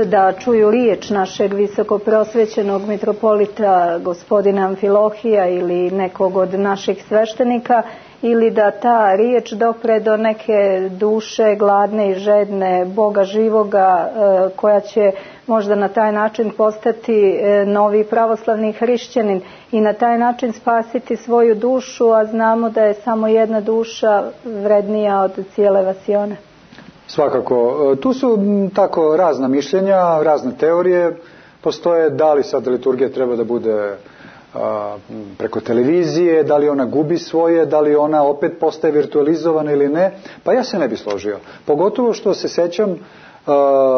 da čuju riječ našeg visoko prosvećenog mitropolita gospodina Amfilohija ili nekog od naših sveštenika, ili da ta riječ dopre do neke duše gladne i žedne Boga živoga koja će možda na taj način postati novi pravoslavni hrišćanin i na taj način spasiti svoju dušu, a znamo da je samo jedna duša vrednija od cijele vasione. Svakako. Tu su tako razna mišljenja, razne teorije. Postoje da li sad liturgija treba da bude preko televizije, da li ona gubi svoje, da li ona opet postaje virtualizovana ili ne, pa ja se ne bi složio. Pogotovo što se sećam,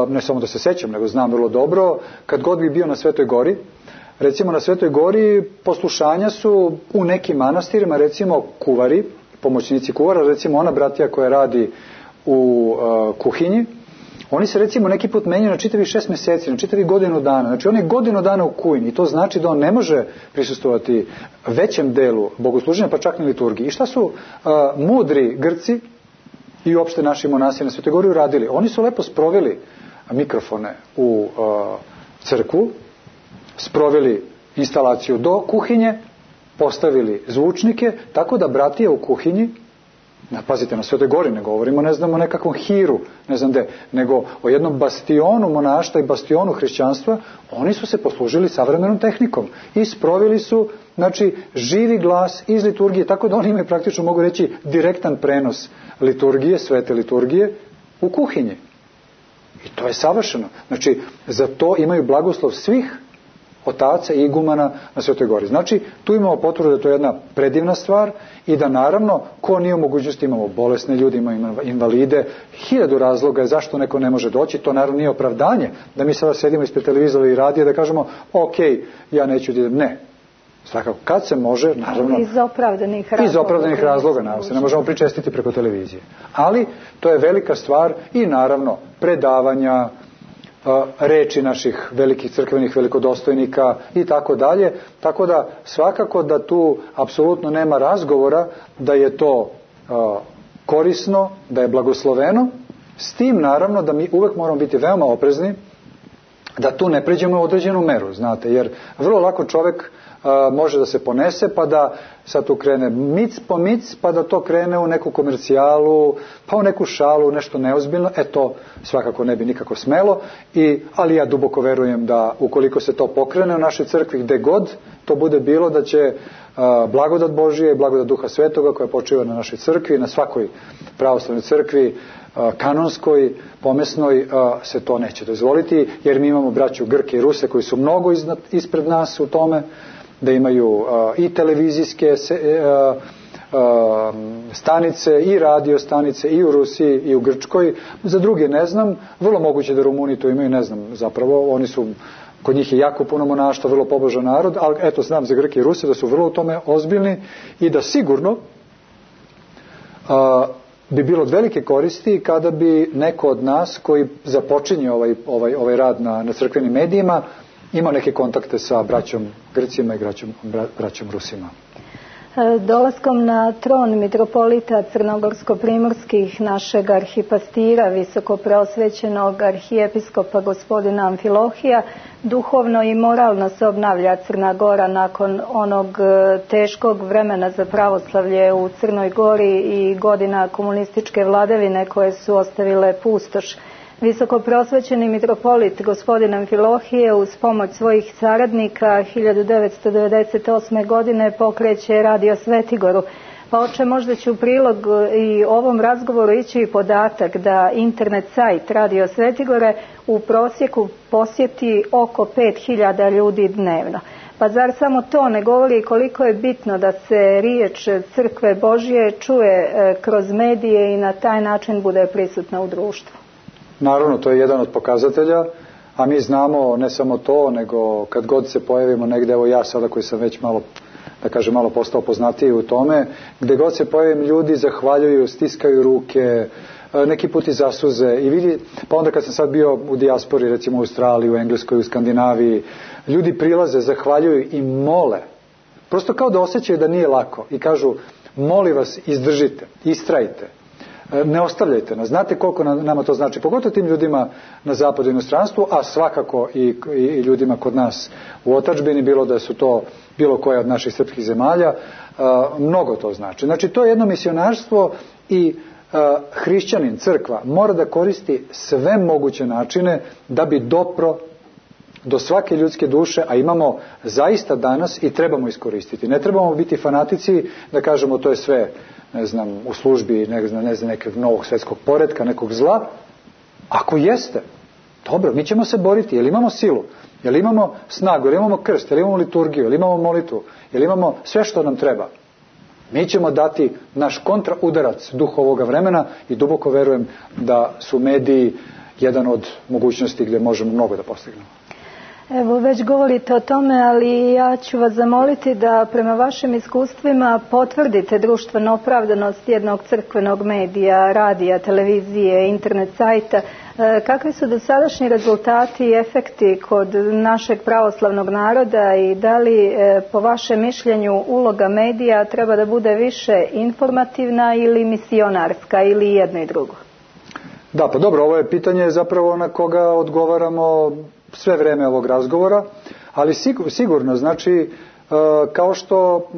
ne samo da se sećam, nego znam vrlo dobro, kad god bi bio na Svetoj Gori, recimo na Svetoj Gori poslušanja su u nekim manastirima, recimo kuvari, pomoćnici kuvara, recimo ona bratija koja radi u kuhinji, oni se recimo neki put menjaju na čitavih šest mjeseci, na čitavih godinu dana. Znači on je godinu dana u kuhinji i to znači da on ne može prisustvovati većem delu bogosluženja, pa čak ni liturgiji. I šta su uh, mudri Grci i uopšte naši monasi na Svetoj Gori uradili? Oni su lepo sproveli mikrofone u uh, crkvu, sproveli instalaciju do kuhinje, postavili zvučnike, tako da bratije u kuhinji, pazite, na Svetoj Gori ne govorimo, ne znamo o nekakvom hiru, ne znam gde, nego o jednom bastionu monaštva i bastionu hrišćanstva, oni su se poslužili savremenom tehnikom i sproveli su, znači, živi glas iz liturgije, tako da oni imaju praktično, mogu reći, direktan prenos liturgije, svete liturgije u kuhinji. I to je savršeno. Znači, za to imaju blagoslov svih otaca i igumana na Svetoj Gori. Znači, tu imamo potvrdu da je to jedna predivna stvar i da naravno, ko nije u mogućnosti, imamo bolesne ljudi, imamo invalide, hiljadu razloga je zašto neko ne može doći, to naravno nije opravdanje da mi sada sedimo ispred televizora i radija da kažemo, ok, ja neću da idem, ne. Svakako, kad se može, naravno... Iz opravdanih razloga. Iz opravdanih razloga, naravno, se ne možemo pričestiti preko televizije. Ali, to je velika stvar i naravno, predavanja, reči naših velikih crkvenih velikodostojnika i tako dalje, tako da svakako da tu apsolutno nema razgovora da je to korisno, da je blagosloveno, s tim naravno da mi uvek moramo biti veoma oprezni da tu ne pređemo u određenu meru, znate, jer vrlo lako čovek a, može da se ponese pa da sad tu krene mic po mic pa da to krene u neku komercijalu, pa u neku šalu, nešto neozbiljno, e to svakako ne bi nikako smelo, i, ali ja duboko verujem da ukoliko se to pokrene u našoj crkvi gde god to bude bilo, da će a, blagodat Božije i blagodat Duha Svetoga koja počiva na našoj crkvi, na svakoj pravoslavnoj crkvi, kanonskoj, pomesnoj, se to neće dozvoliti, jer mi imamo braću Grke i Ruse koji su mnogo iznad, ispred nas u tome, da imaju i televizijske stanice i radio stanice i u Rusiji i u Grčkoj. Za druge ne znam, vrlo moguće da Rumuni to imaju, ne znam zapravo, oni su, kod njih je jako puno monaštva, vrlo pobožan narod, ali eto znam za Grke i Ruse da su vrlo u tome ozbiljni i da sigurno a, bi bilo od velike koristi kada bi neko od nas koji započinje ovaj, ovaj, ovaj rad na, na crkvenim medijima imao neke kontakte sa braćom Grcima i braćom, bra, braćom Rusima. Dolaskom na tron mitropolita crnogorsko-primorskih našeg arhipastira, visoko preosvećenog arhijepiskopa gospodina Amfilohija, duhovno i moralno se obnavlja Crna Gora nakon onog teškog vremena za pravoslavlje u Crnoj Gori i godina komunističke vladavine koje su ostavile pustoš. Visoko prosvećeni mitropolit gospodin Amfilohije uz pomoć svojih saradnika hiljadu devetsto devedeset osme. godine pokreće Radio Svetigoru. Pa oče, možda će u prilog i ovom razgovoru ići i podatak da internet sajt Radio Svetigore u prosjeku posjeti oko pet hiljada ljudi dnevno. Pa zar samo to ne govori koliko je bitno da se riječ Crkve Božje čuje kroz medije i na taj način bude prisutna u društvu? Naravno, to je jedan od pokazatelja, a mi znamo ne samo to, nego kad god se pojavimo negde, evo ja sada koji sam već malo, da kažem, malo postao poznatiji u tome, gde god se pojavim ljudi zahvaljuju, stiskaju ruke, neki put i zasuze i vidi, pa onda kad sam sad bio u dijaspori, recimo u Australiji, u Engleskoj, u Skandinaviji, ljudi prilaze, zahvaljuju i mole. Prosto kao da osjećaju da nije lako i kažu, molim vas, izdržite, istrajite, ne ostavljajte nas. Znate koliko nama to znači, pogotovo tim ljudima na zapadu i inostranstvu, a svakako i, i, i ljudima kod nas u otadžbini, bilo da su to bilo koja od naših srpskih zemalja, a, mnogo to znači. Znači, to je jedno misionarstvo i a, hrišćanin, crkva, mora da koristi sve moguće načine da bi dopro do svake ljudske duše, a imamo zaista danas i trebamo iskoristiti. Ne trebamo biti fanatici da kažemo to je sve, ne znam, u službi ne znam, ne znam, nekog novog svjetskog poretka, nekog zla. Ako jeste, dobro, mi ćemo se boriti. Jel imamo silu? Jel imamo snagu? Jel imamo krst? Jel imamo liturgiju? Jel imamo molitvu? Jel imamo sve što nam treba? Mi ćemo dati naš kontraudarac duhu ovoga vremena i duboko verujem da su mediji jedan od mogućnosti gdje možemo mnogo da postignemo. Evo, već govorite o tome, ali ja ću vas zamoliti da prema vašim iskustvima potvrdite društvenu opravdanost jednog crkvenog medija, radija, televizije, internet sajta. Kakvi su dosadašnji rezultati i efekti kod našeg pravoslavnog naroda i da li po vašem mišljenju uloga medija treba da bude više informativna ili misionarska ili jedno i drugo? Da, pa dobro, ovo je pitanje zapravo na koga odgovaramo sve vreme ovog razgovora, ali sigurno, znači, kao što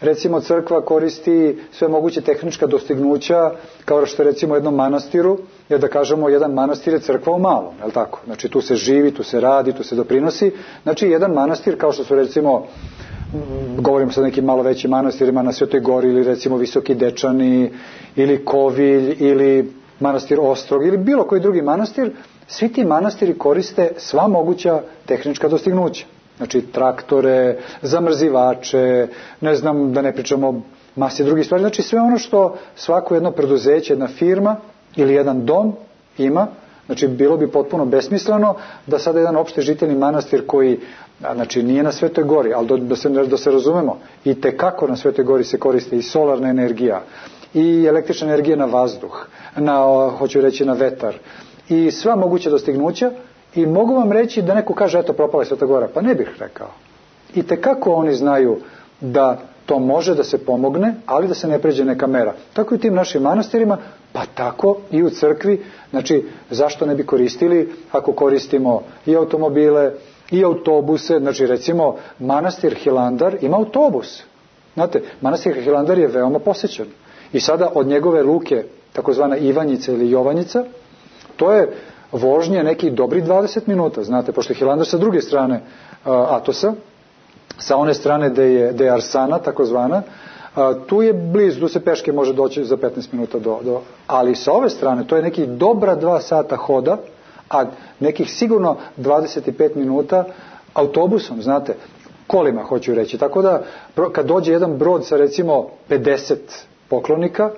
recimo crkva koristi sve moguće tehnička dostignuća, kao što je recimo u jednom manastiru, jer da kažemo jedan manastir je crkva u malom, je li tako? Znači tu se živi, tu se radi, tu se doprinosi, znači jedan manastir kao što su recimo, govorimo sad o nekim malo većim manastirima na Svetoj Gori ili recimo Visoki Dečani ili Kovilj ili manastir Ostrog ili bilo koji drugi manastir, svi ti manastiri koriste sva moguća tehnička dostignuća. Znači traktore, zamrzivače, ne znam da ne pričamo masi drugih stvari. Znači sve ono što svako jedno preduzeće, jedna firma ili jedan dom ima, znači bilo bi potpuno besmisleno da sada jedan opšte žiteljni manastir koji, znači nije na Svetoj Gori, ali da se, da se razumemo, i tekako na Svetoj Gori se koriste i solarna energija, i električna energija na vazduh, na, hoću reći na vetar, i sva moguća dostignuća, i mogu vam reći da neko kaže eto propala je Sveta Gora, pa ne bih rekao. I tekako oni znaju da to može da se pomogne, ali da se ne pređe neka mera. Tako i u tim našim manastirima, pa tako i u crkvi. Znači zašto ne bi koristili ako koristimo i automobile i autobuse. Znači recimo manastir Hilandar ima autobus. Znate, manastir Hilandar je veoma posećen. I sada od njegove luke, takozvana Ivanjica ili Jovanjica, to je vožnje nekih dobrih dvadeset minuta, znate, pošto je Hilandar sa druge strane uh, Atosa, sa one strane gde je, gde je Arsana, takozvana, uh, tu je blizu, tu se peške može doći za petnaest minuta do, do, ali sa ove strane, to je nekih dobra dva sata hoda, a nekih sigurno dvadeset pet minuta autobusom, znate, kolima hoću reći, tako da kad dođe jedan brod sa recimo pedeset poklonika,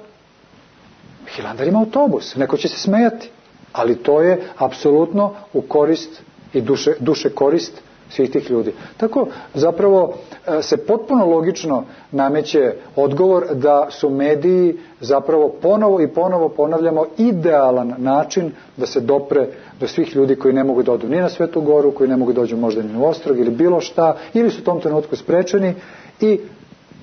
Hilandar ima autobus, neko će se smejati. Ali to je apsolutno u korist i duše, duše korist svih tih ljudi. Tako zapravo se potpuno logično nameće odgovor da su mediji zapravo ponovo i ponovo ponavljamo idealan način da se dopre do svih ljudi koji ne mogu da odu ni na Svetu Goru, koji ne mogu da dođu možda ni u Ostrog ili bilo šta, ili su u tom trenutku sprečeni, i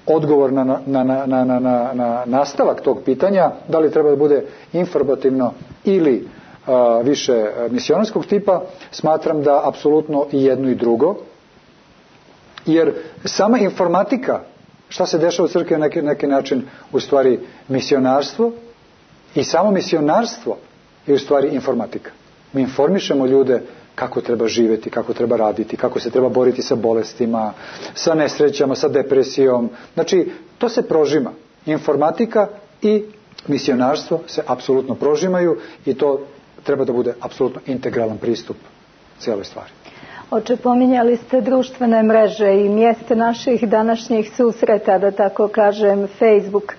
odgovor na, na, na, na, na, na, na nastavak tog pitanja, da li treba da bude informativno ili a, više misionarskog tipa, smatram da apsolutno i jedno i drugo, jer sama informatika, šta se dešava u crkvi, na neki, neki način u stvari misionarstvo, i samo misionarstvo je u stvari informatika. Mi informišemo ljude kako treba živjeti, kako treba raditi, kako se treba boriti sa bolestima, sa nesrećama, sa depresijom. Znači, to se prožima. Informatika i misionarstvo se apsolutno prožimaju i to treba da bude apsolutno integralan pristup cijeloj stvari. Oče, pominjali ste društvene mreže i mjeste naših današnjih susreta, da tako kažem, Facebook.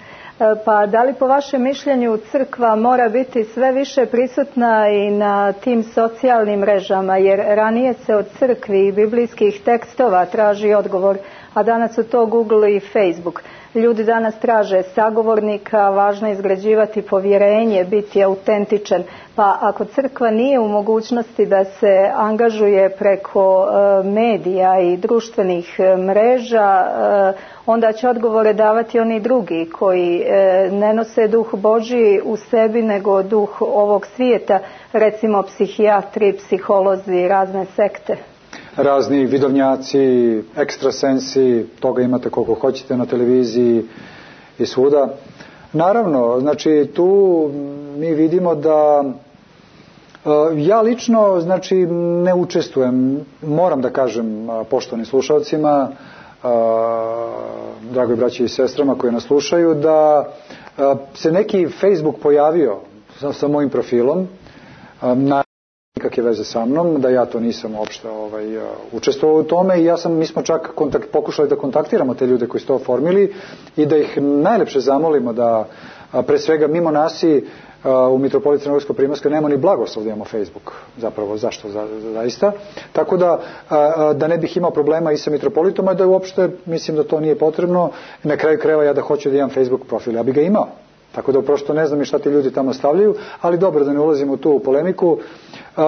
Pa da li po vašem mišljenju crkva mora biti sve više prisutna i na tim socijalnim mrežama, jer ranije se od crkvi i biblijskih tekstova traži odgovor a danas su to Google i Facebook. Ljudi danas traže sagovornika, važno je izgrađivati povjerenje, biti autentičan, pa ako crkva nije u mogućnosti da se angažuje preko e, medija i društvenih e, mreža, e, onda će odgovore davati oni drugi koji e, ne nose duh Božji u sebi nego duh ovog svijeta, recimo psihijatri, psiholozi, razne sekte. Razni vidovnjaci, ekstrasensi, toga imate koliko hoćete na televiziji i svuda. Naravno, znači tu mi vidimo da ja lično znači ne učestvujem, moram da kažem poštovanim slušalcima, dragoj braći i sestrama koji nas slušaju, da se neki Facebook pojavio sa, sa mojim profilom, na nikakve veze sa mnom, da ja to nisam uopšte ovaj, učestvovao u tome i ja sam, mi smo čak kontakt, pokušali da kontaktiramo te ljude koji su to oformili i da ih najlepše zamolimo da pre svega mimo nasi u Mitropoliiji Crnogorsko-Primorskoj nema ni blagoslov da imamo Facebook, zapravo zašto za, zaista, tako da da ne bih imao problema i sa Mitropolitom, a da uopšte mislim da to nije potrebno, na kraju krajeva ja da hoću da imam Facebook profil, ja bi ga imao. Tako da prosto ne znam i šta ti ljudi tamo stavljaju, ali dobro da ne ulazimo tu u polemiku. Uh,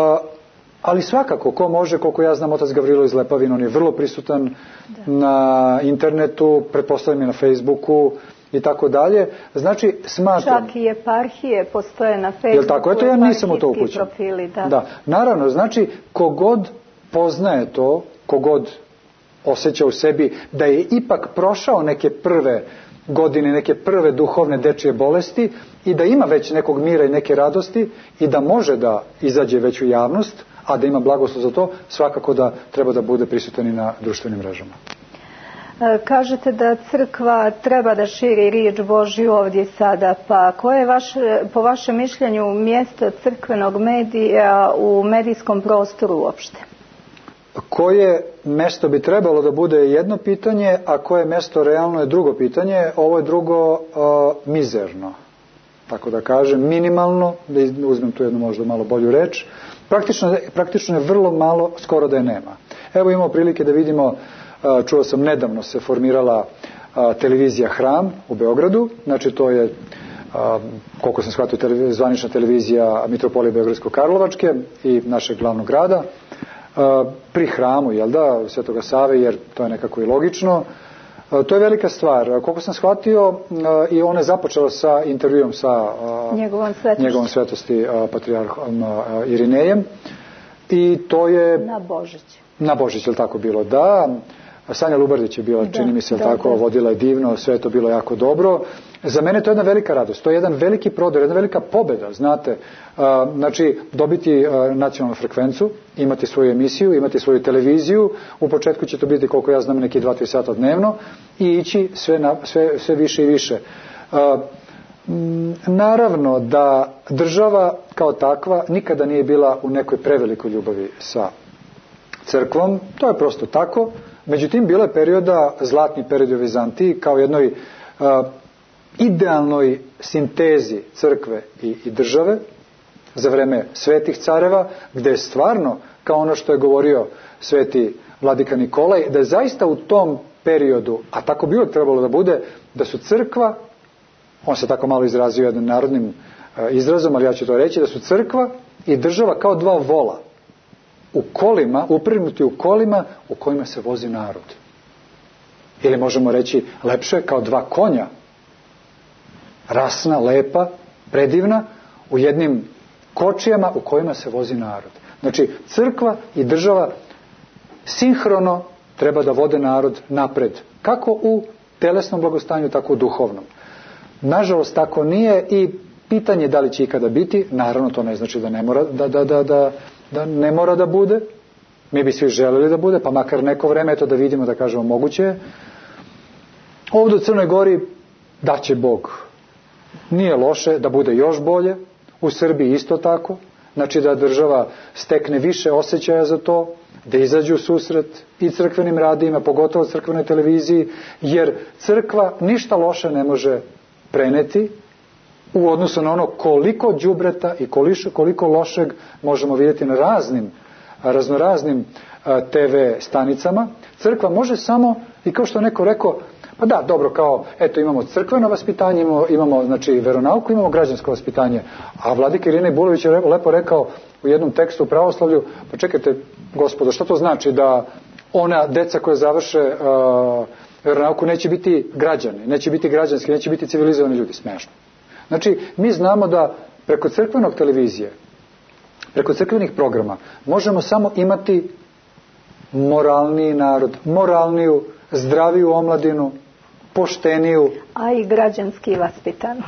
ali svakako, ko može, koliko ja znam, otac Gavrilo iz Lepavina, on je vrlo prisutan da. Na internetu, pretpostavljam i na Facebooku i tako dalje. Znači, smatram... Čak i eparhije postoje na Facebooku. Jel tako? Eto, ja nisam u to upućen. Profili, da. Da. Naravno, znači, kogod poznaje to, kogod osjeća u sebi da je ipak prošao neke prve godine, neke prve duhovne dečije bolesti i da ima već nekog mira i neke radosti i da može da izađe već u javnost, a da ima blagoslov za to, svakako da treba da bude prisutan i na društvenim mrežama. Kažete da crkva treba da širi riječ Božju ovdje sada, pa koje je vaše, po vašem mišljenju mjesto crkvenog medija u medijskom prostoru uopšte? Koje mesto bi trebalo da bude jedno pitanje, a koje mesto realno je drugo pitanje. Ovo je drugo uh, mizerno, tako da kažem, minimalno, da uzmem tu jednu možda malo bolju reč. Praktično, praktično je vrlo malo, skoro da je nema. Evo imamo prilike da vidimo, uh, čuo sam nedavno se formirala uh, televizija Hram u Beogradu, znači to je, uh, koliko sam shvatio, televiz, zvanična televizija Mitropolije Beogradsko-Karlovačke i našeg glavnog grada. Pri hramu, jel da, Svetoga Save, jer to je nekako i logično. To je velika stvar. Koliko sam shvatio, i ona je započela sa intervjuom sa njegovom svetosti, njegovom svetosti patrijarhom Irinejem. I to je... Na Božić. Na Božić, jel tako bilo, da. Sanja Lubardić je bila, da, čini mi se, da, tako, da. Vodila je divno, sve je to bilo jako dobro. Za mene to je jedna velika radost, to je jedan veliki prodor, jedna velika pobjeda, znate. Znači, dobiti nacionalnu frekvencu, imati svoju emisiju, imati svoju televiziju, u početku će to biti, koliko ja znam, neki dva tri sata dnevno i ići sve, na, sve, sve više i više. Naravno da država kao takva nikada nije bila u nekoj prevelikoj ljubavi sa crkvom, to je prosto tako. Međutim, bilo je perioda, zlatni period u Vizantiji, kao jednoj uh, idealnoj sintezi crkve i, i države za vreme svetih careva, gde je stvarno, kao ono što je govorio sveti vladika Nikolaj, da je zaista u tom periodu, a tako bi uvijek trebalo da bude, da su crkva, on se tako malo izrazio jednim narodnim uh, izrazom, ali ja ću to reći, da su crkva i država kao dva vola u kolima, uprignuti u kolima u kojima se vozi narod. Ili možemo reći lepše, kao dva konja, rasna, lepa, predivna, u jednim kočijama u kojima se vozi narod. Znači, crkva i država sinhrono treba da vode narod napred, kako u telesnom blagostanju, tako u duhovnom. Nažalost, tako nije i pitanje da li će ikada biti, naravno to ne znači da ne mora da, da, da, da da ne mora da bude, mi bi svi želeli da bude, pa makar neko vreme, eto da vidimo, da kažemo, moguće je. Ovdje u Crnoj Gori daće Bog. Nije loše da bude još bolje, u Srbiji isto tako, znači da država stekne više osjećaja za to, da izađu u susret i crkvenim radijima, pogotovo crkvenoj televiziji, jer crkva ništa loše ne može preneti, u odnosu na ono koliko đubreta i koliko, koliko lošeg možemo vidjeti na raznim, raznoraznim te ve stanicama. Crkva može samo I kao što je neko rekao, pa da, dobro, kao, eto, imamo crkveno vaspitanje, imamo, imamo znači, veronauku, imamo građansko vaspitanje. A vladika Irina Bulović je lepo rekao u jednom tekstu u pravoslavlju, pa čekajte, gospodo, što to znači da ona deca koja završe uh, veronauku neće biti građani, neće biti građanski, neće biti civilizovani ljudi? Smešno. Znači, mi znamo da preko crkvenog televizije, preko crkvenih programa, možemo samo imati moralniji narod, moralniju, zdraviju omladinu, pošteniju. A i građanski vaspitanu.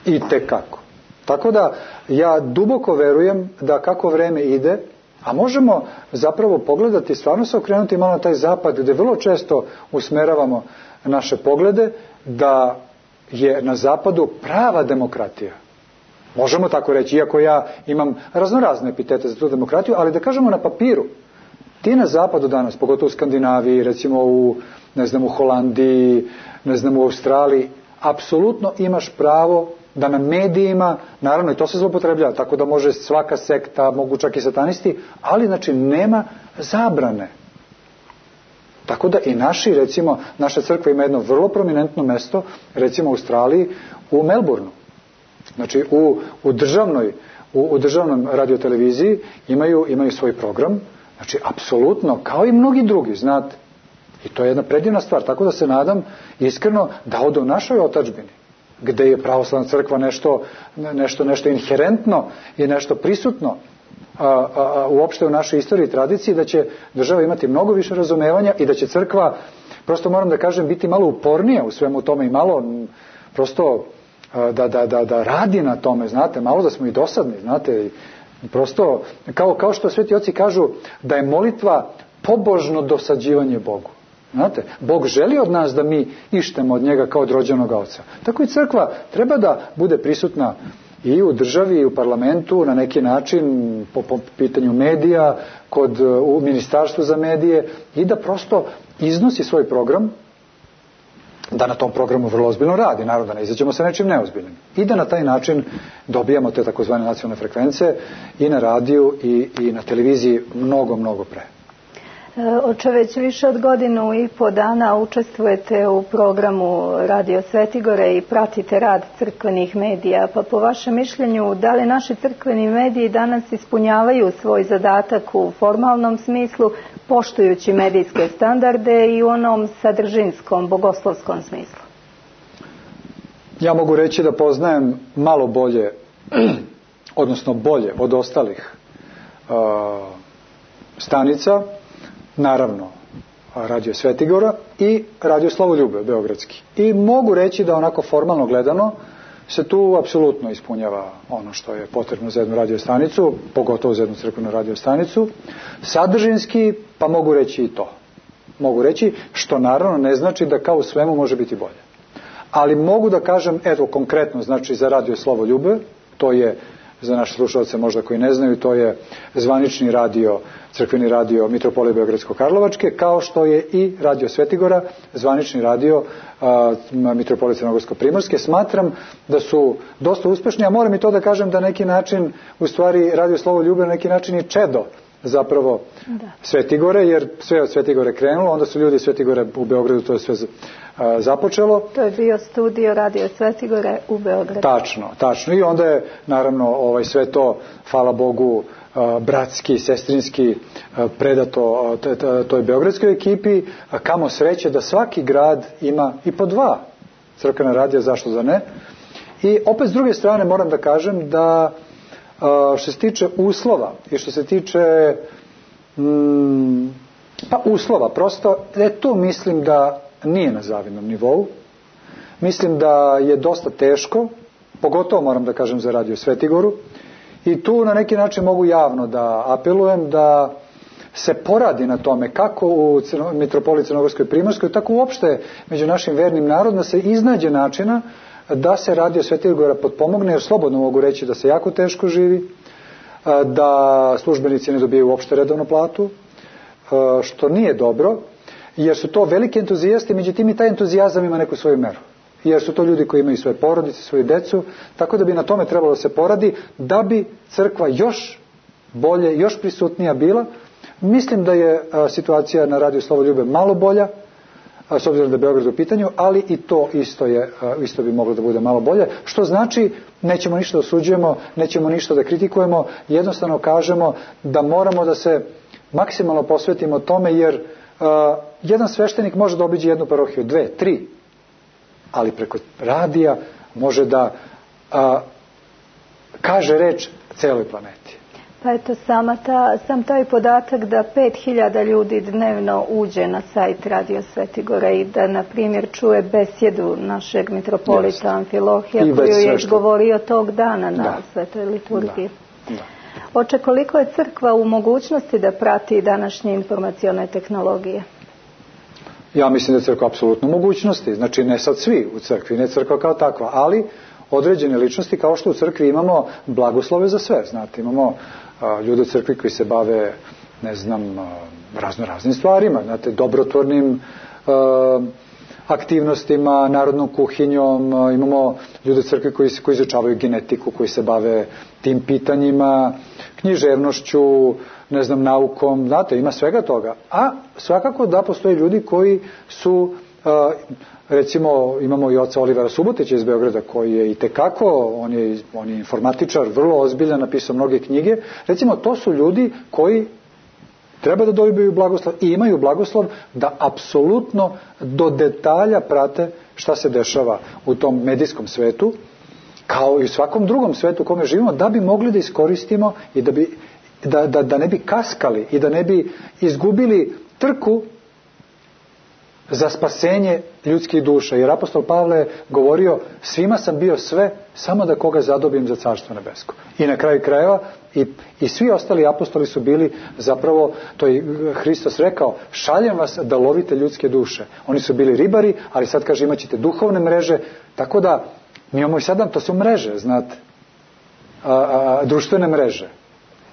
I tekako. Tako da ja duboko verujem da kako vreme ide, a možemo zapravo pogledati, stvarno se okrenuti malo na taj zapad gdje vrlo često usmeravamo naše poglede, da je na zapadu prava demokratija. Možemo tako reći, iako ja imam raznorazne epitete za tu demokratiju, ali da kažemo na papiru, ti na zapadu danas, pogotovo u Skandinaviji, recimo u, ne znam, u Holandiji, ne znam, u Australiji, apsolutno imaš pravo da na medijima, naravno i to se zloupotrebljava, tako da može svaka sekta, mogu čak i satanisti, ali znači nema zabrane. Tako da i naši, recimo, naša crkva ima jedno vrlo prominentno mesto, recimo u Australiji, u Melbourneu. Znači u, u državnoj, u, u državnom radioteleviziji imaju, imaju svoj program, znači apsolutno, kao i mnogi drugi, znate. I to je jedna predivna stvar, tako da se nadam iskreno da ode u našoj otadžbini, gde je pravoslavna crkva nešto, nešto, nešto inherentno i nešto prisutno a, a, a, uopšte u našoj istoriji i tradiciji, da će država imati mnogo više razumevanja i da će crkva, prosto moram da kažem, biti malo upornija u svemu tome i malo prosto da, da, da, da radi na tome, znate, malo da smo i dosadni, znate, i prosto, kao, kao što sveti oci kažu, da je molitva pobožno dosađivanje Bogu. Znate, Bog želi od nas da mi ištemo od njega kao od rođenog oca. Tako i crkva treba da bude prisutna i u državi i u parlamentu na neki način po, po pitanju medija, kod, u ministarstvu za medije i da prosto iznosi svoj program, da na tom programu vrlo ozbiljno radi, naravno da ne izađemo sa nečim neozbiljnim. I da na taj način dobijamo te takozvane nacionalne frekvence i na radiju i, i na televiziji mnogo, mnogo pre. Oče, već više od godinu i po dana učestvujete u programu Radio Svetigore i pratite rad crkvenih medija. Pa po vašem mišljenju, da li naši crkveni mediji danas ispunjavaju svoj zadatak u formalnom smislu, poštujući medijske standarde i u onom sadržinskom, bogoslovskom smislu? Ja mogu reći da poznajem malo bolje, odnosno bolje od ostalih uh, stanica, naravno Radio Svetigora i Radio Slavoljube beogradski. I mogu reći da onako formalno gledano se tu apsolutno ispunjava ono što je potrebno za jednu radio stanicu, pogotovo za jednu crkvenu radio stanicu. Sadržinski, pa mogu reći i to. Mogu reći, što naravno ne znači da kao u svemu može biti bolje. Ali mogu da kažem, eto konkretno, znači za Radio Slavoljube, to je za naše slušalce možda koji ne znaju, to je zvanični radio, crkveni radio Mitropolije Beogradsko-Karlovačke, kao što je i Radio Svetigora, zvanični radio a, Mitropolije Crnogorsko-Primorske. Smatram da su dosta uspešni, a moram i to da kažem da neki način, u stvari Radio Slavoljube na neki način je čedo zapravo da. Svetigore, jer sve od Svetigore krenulo, onda su ljudi Svetigore u Beogradu, to je sve a, započelo. To je bio studio Radio Svetigore u Beogradu. Tačno, tačno. I onda je naravno ovaj, sve to, hvala Bogu, a, bratski, sestrinski a, predato a, t, t, toj beogradskoj ekipi, a kamo sreće da svaki grad ima i po dva crkvena radija, zašto da ne. I opet s druge strane moram da kažem da što se tiče uslova i što se tiče mm, pa uslova, prosto e, tu mislim da nije na zavidnom nivou. Mislim da je dosta teško, pogotovo moram da kažem za Radio Svetigoru, i tu na neki način mogu javno da apelujem da se poradi na tome kako u Mitropoliji Crnogorskoj i Primorskoj, tako uopšte među našim vernim narodom, da se iznađe načina da se Radio Svetigora potpomogne, jer slobodno mogu reći da se jako teško živi, da službenici ne dobijaju uopšte redovnu platu, što nije dobro, jer su to veliki entuzijasti, međutim i taj entuzijazam ima neku svoju meru. Jer su to ljudi koji imaju svoje porodice, svoju decu, tako da bi na tome trebalo da se poradi, da bi crkva još bolje, još prisutnija bila. Mislim da je situacija na Radio Slavoljube malo bolja, s obzirom da je Beograd u pitanju, ali i to isto, je, isto bi moglo da bude malo bolje, što znači nećemo ništa osuđujemo, nećemo ništa da kritikujemo, jednostavno kažemo da moramo da se maksimalno posvetimo tome, jer uh, jedan sveštenik može da obiđe jednu parohiju, dve, tri, ali preko radija može da uh, kaže reč celoj planeti. Pa eto, sama ta, sam taj podatak da pet hiljada ljudi dnevno uđe na sajt Radio Svetigora i da, na primjer, čuje besjedu našeg mitropolita Amfilohija, koju je govorio tog dana na da. Svetoj liturgiji. Da. Da. Oče, koliko je crkva u mogućnosti da prati današnje informacione tehnologije? Ja mislim da je crkva apsolutno u mogućnosti. Znači, ne sad svi u crkvi, ne crkva kao takva, ali određene ličnosti, kao što u crkvi imamo blagoslove za sve. Znate, imamo a, ljude u crkvi koji se bave, ne znam, a, razno raznim stvarima, znate, dobrotvornim a, aktivnostima, narodnom kuhinjom, a, imamo ljude u crkvi koji, koji izučavaju genetiku, koji se bave tim pitanjima, književnošću, ne znam, naukom, znate, ima svega toga. A svakako da postoje ljudi koji su, a, recimo, imamo i oca Olivera Subotića iz Beograda, koji je i tekako, on je, on je informatičar, vrlo ozbiljan, napisao mnoge knjige. Recimo, to su ljudi koji treba da dobiju blagoslov i imaju blagoslov da apsolutno do detalja prate šta se dešava u tom medijskom svetu, kao i u svakom drugom svetu u kome živimo, da bi mogli da iskoristimo i da, bi, da, da, da ne bi kaskali i da ne bi izgubili trku za spasenje ljudskih duša. Jer apostol Pavle je govorio, svima sam bio sve, samo da koga zadobim za carstvo nebesko. I na kraju krajeva i, i svi ostali apostoli su bili zapravo, to je Hristos rekao, šaljem vas da lovite ljudske duše. Oni su bili ribari, ali sad kaže imat ćete duhovne mreže, tako da mi imamo i sada, to su mreže, znate, a, a, društvene mreže.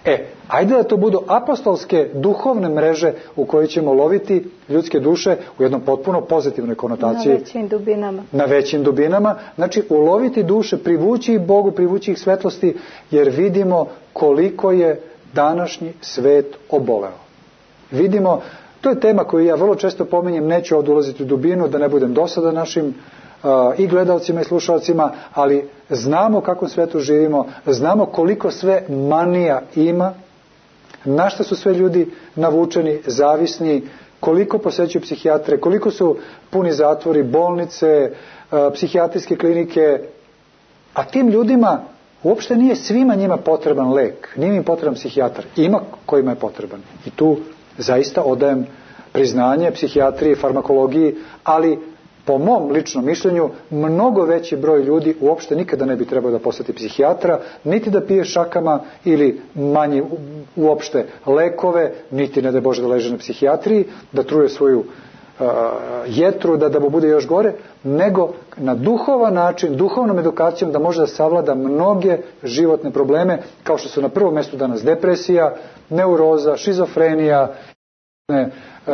E, ajde da to budu apostolske duhovne mreže u kojoj ćemo loviti ljudske duše u jednom potpuno pozitivnoj konotaciji. Na većim dubinama. Na većim dubinama. Znači, uloviti duše, privući ih Bogu, privući ih svetlosti, jer vidimo koliko je današnji svet oboleo. Vidimo, to je tema koju ja vrlo često pominjem, neću ovdje ulaziti u dubinu, da ne budem dosadan našim i gledalcima i slušalcima, ali znamo kakvom svetu živimo, znamo koliko sve manija ima, na što su sve ljudi navučeni, zavisni, koliko posećuju psihijatre, koliko su puni zatvori, bolnice, psihijatrijske klinike, a tim ljudima uopšte nije svima njima potreban lek, nije im potreban psihijatar, ima kojima je potreban. I tu zaista odajem priznanje psihijatriji, farmakologiji, ali po mom ličnom mišljenju, mnogo veći broj ljudi uopšte nikada ne bi trebao da poseti psihijatra, niti da pije šakama ili manje uopšte lekove, niti ne da Bože da leže na psihijatriji, da truje svoju uh, jetru, da, da mu bude još gore, nego na duhovan način, duhovnom edukacijom da može da savlada mnoge životne probleme, kao što su na prvom mjestu danas depresija, neuroza, šizofrenija, ne, Uh,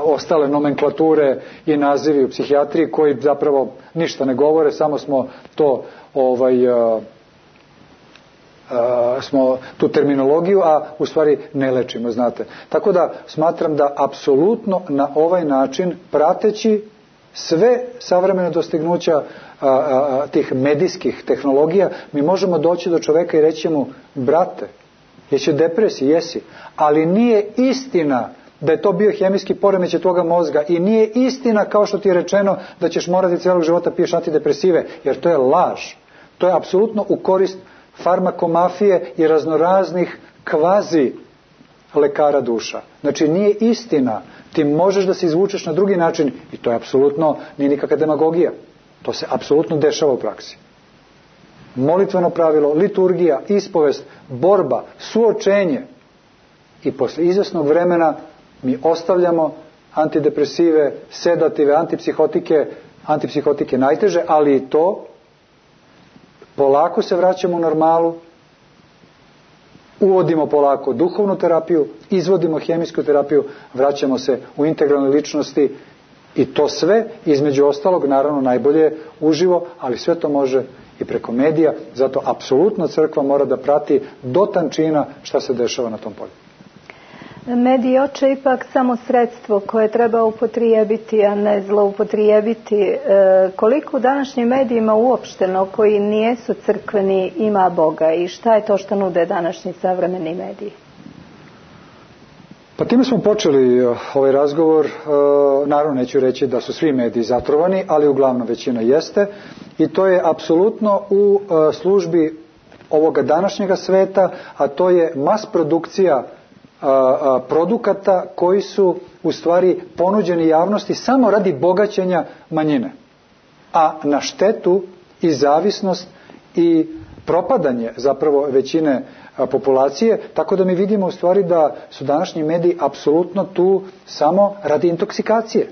ostale nomenklature i nazivi u psihijatriji koji zapravo ništa ne govore, samo smo to ovaj, uh, uh, smo tu terminologiju, a u stvari ne lečimo, znate. Tako da smatram da apsolutno na ovaj način, prateći sve savremene dostignuća uh, uh, tih medijskih tehnologija, mi možemo doći do čoveka i reći mu, brate, jesi depresiji, jesi, ali nije istina da je to biohemijski poremećaj toga mozga i nije istina kao što ti je rečeno da ćeš morati cijelog života piješ antidepresive, jer to je laž. To je apsolutno u korist farmakomafije i raznoraznih kvazi lekara duša. Znači nije istina, ti možeš da se izvučeš na drugi način i to je apsolutno, nije nikakva demagogija. To se apsolutno dešava u praksi. Molitveno pravilo, liturgija, ispovest, borba, suočenje i posle izvesnog vremena mi ostavljamo antidepresive, sedative, antipsihotike, antipsihotike najteže, ali i to polako se vraćamo u normalu, uvodimo polako duhovnu terapiju, izvodimo hemijsku terapiju, vraćamo se u integralne ličnosti i to sve, između ostalog, naravno najbolje uživo, ali sve to može i preko medija, zato apsolutno crkva mora da prati do tančina šta se dešava na tom polju. Mediji oče ipak samo sredstvo koje treba upotrijebiti, a ne zloupotrijebiti. E, koliko u današnjim medijima uopšteno koji nijesu crkveni ima Boga i šta je to što nude današnji savremeni mediji? Pa time smo počeli ovaj razgovor. E, naravno neću reći da su svi mediji zatrovani, ali uglavnom većina jeste i to je apsolutno u e, službi ovoga današnjega sveta, a to je mas produkcija produkata koji su u stvari ponuđeni javnosti samo radi bogaćenja manjine, a na štetu i zavisnost i propadanje zapravo većine populacije, tako da mi vidimo u stvari da su današnji mediji apsolutno tu samo radi intoksikacije.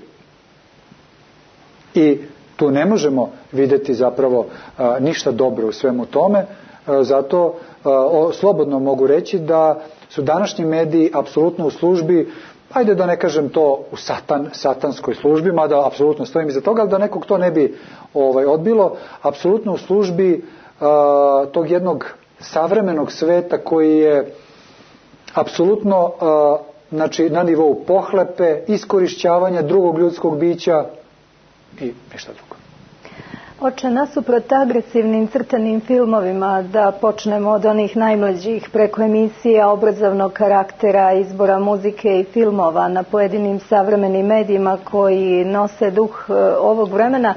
I tu ne možemo vidjeti zapravo ništa dobro u svemu tome, zato slobodno mogu reći da su današnji mediji apsolutno u službi, ajde da ne kažem to u satan, satanskoj službi, mada apsolutno stojim iza toga, ali da nekog to ne bi ovaj, odbilo, apsolutno u službi uh, tog jednog savremenog sveta koji je apsolutno uh, znači, na nivou pohlepe, iskorišćavanja drugog ljudskog bića i ništa drugo. Oče, nasuprot agresivnim crtanim filmovima, da počnemo od onih najmlađih preko emisija obrazovnog karaktera, izbora muzike i filmova na pojedinim savremenim medijima koji nose duh ovog vremena,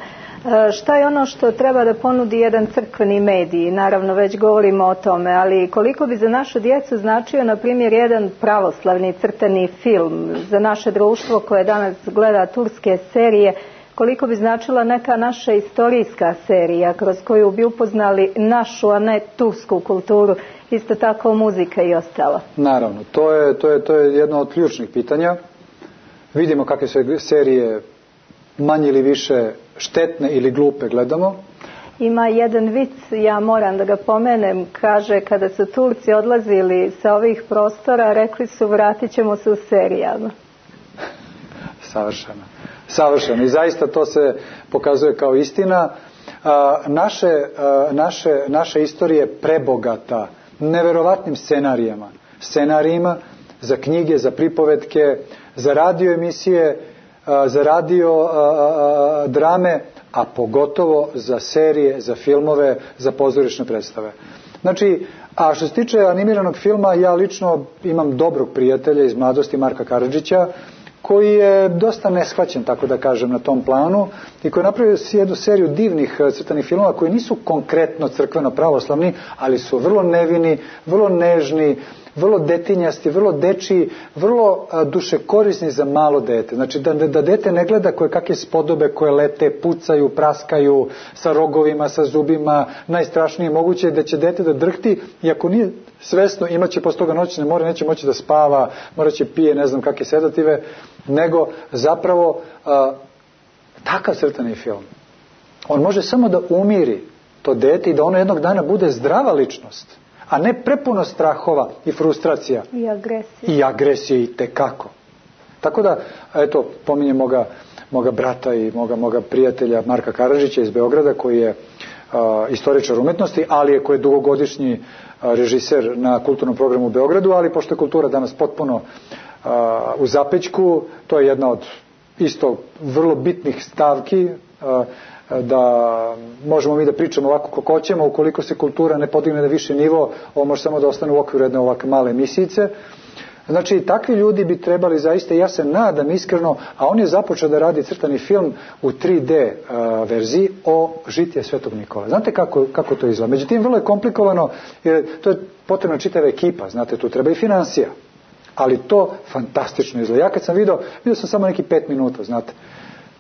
šta je ono što treba da ponudi jedan crkveni medij? Naravno, već govorimo o tome, ali koliko bi za našu djecu značio, na primjer, jedan pravoslavni crtani film za naše društvo koje danas gleda turske serije, koliko bi značila neka naša istorijska serija kroz koju bi upoznali našu, a ne tursku kulturu, isto tako muzika i ostalo? Naravno, to je, to je, to je jedno od ključnih pitanja. Vidimo kakve se serije manje ili više štetne ili glupe gledamo. Ima jedan vic, ja moram da ga pomenem, kaže kada su Turci odlazili sa ovih prostora, rekli su vratit ćemo se u serijama. Savršeno. Savršeno. I zaista to se pokazuje kao istina. A, naše, a, naše, naša istorija je prebogata neverovatnim scenarijama. Scenarijima za knjige, za pripovetke, za radio emisije, a, za radio a, a, drame, a pogotovo za serije, za filmove, za pozorišne predstave. Znači, a što se tiče animiranog filma, ja lično imam dobrog prijatelja iz mladosti, Marka Karadžića, koji je dosta neshvaćen, tako da kažem, na tom planu i koji je napravio jednu seriju divnih crtanih filmova koji nisu konkretno crkveno pravoslavni, ali su vrlo nevini, vrlo nežni, vrlo detinjasti, vrlo dečiji, vrlo dušekorisni za malo dete. Znači da, da dete ne gleda koje kakve spodobe koje lete, pucaju, praskaju sa rogovima, sa zubima, najstrašnije moguće da će dete da drhti i ako nije svesno imaće posle toga noćne more, neće moći da spava, morat će pije ne znam kakve sedative, nego zapravo a, takav crtani film. On može samo da umiri to dete i da ono jednog dana bude zdrava ličnost, a ne prepuno strahova i frustracija. I agresije. I agresije i tekako. Tako da, eto, pominjem moga, moga brata i moga, moga prijatelja Marka Karadžića iz Beograda, koji je a, istoričar umetnosti, ali je koji je dugogodišnji a, režiser na kulturnom programu u Beogradu, ali pošto je kultura danas potpuno a, u zapećku, to je jedna od isto vrlo bitnih stavki, a, da možemo mi da pričamo ovako kako hoćemo, ukoliko se kultura ne podigne na viši nivo, ovo može samo da ostane u okviru jedne ovakve male misijice. Znači, takvi ljudi bi trebali zaista, ja se nadam iskreno, a on je započeo da radi crtani film u tri D uh, verziji o žitije Svetog Nikole. Znate kako, kako to izgleda? Međutim, vrlo je komplikovano, jer to je potrebna čitava ekipa, znate, tu treba i financija. Ali to fantastično izgleda. Ja kad sam vidio, vidio sam samo neki pet minuta, znate.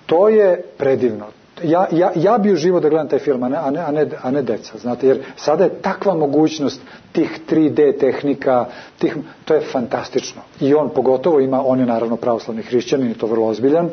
To je predivno. Ja, ja, ja bi uživo da gledam taj film, a ne, a, ne, a ne deca, znate, jer sada je takva mogućnost tih tri D tehnika, tih, to je fantastično. I on pogotovo ima, on je naravno pravoslavni hrišćanin i to vrlo ozbiljan.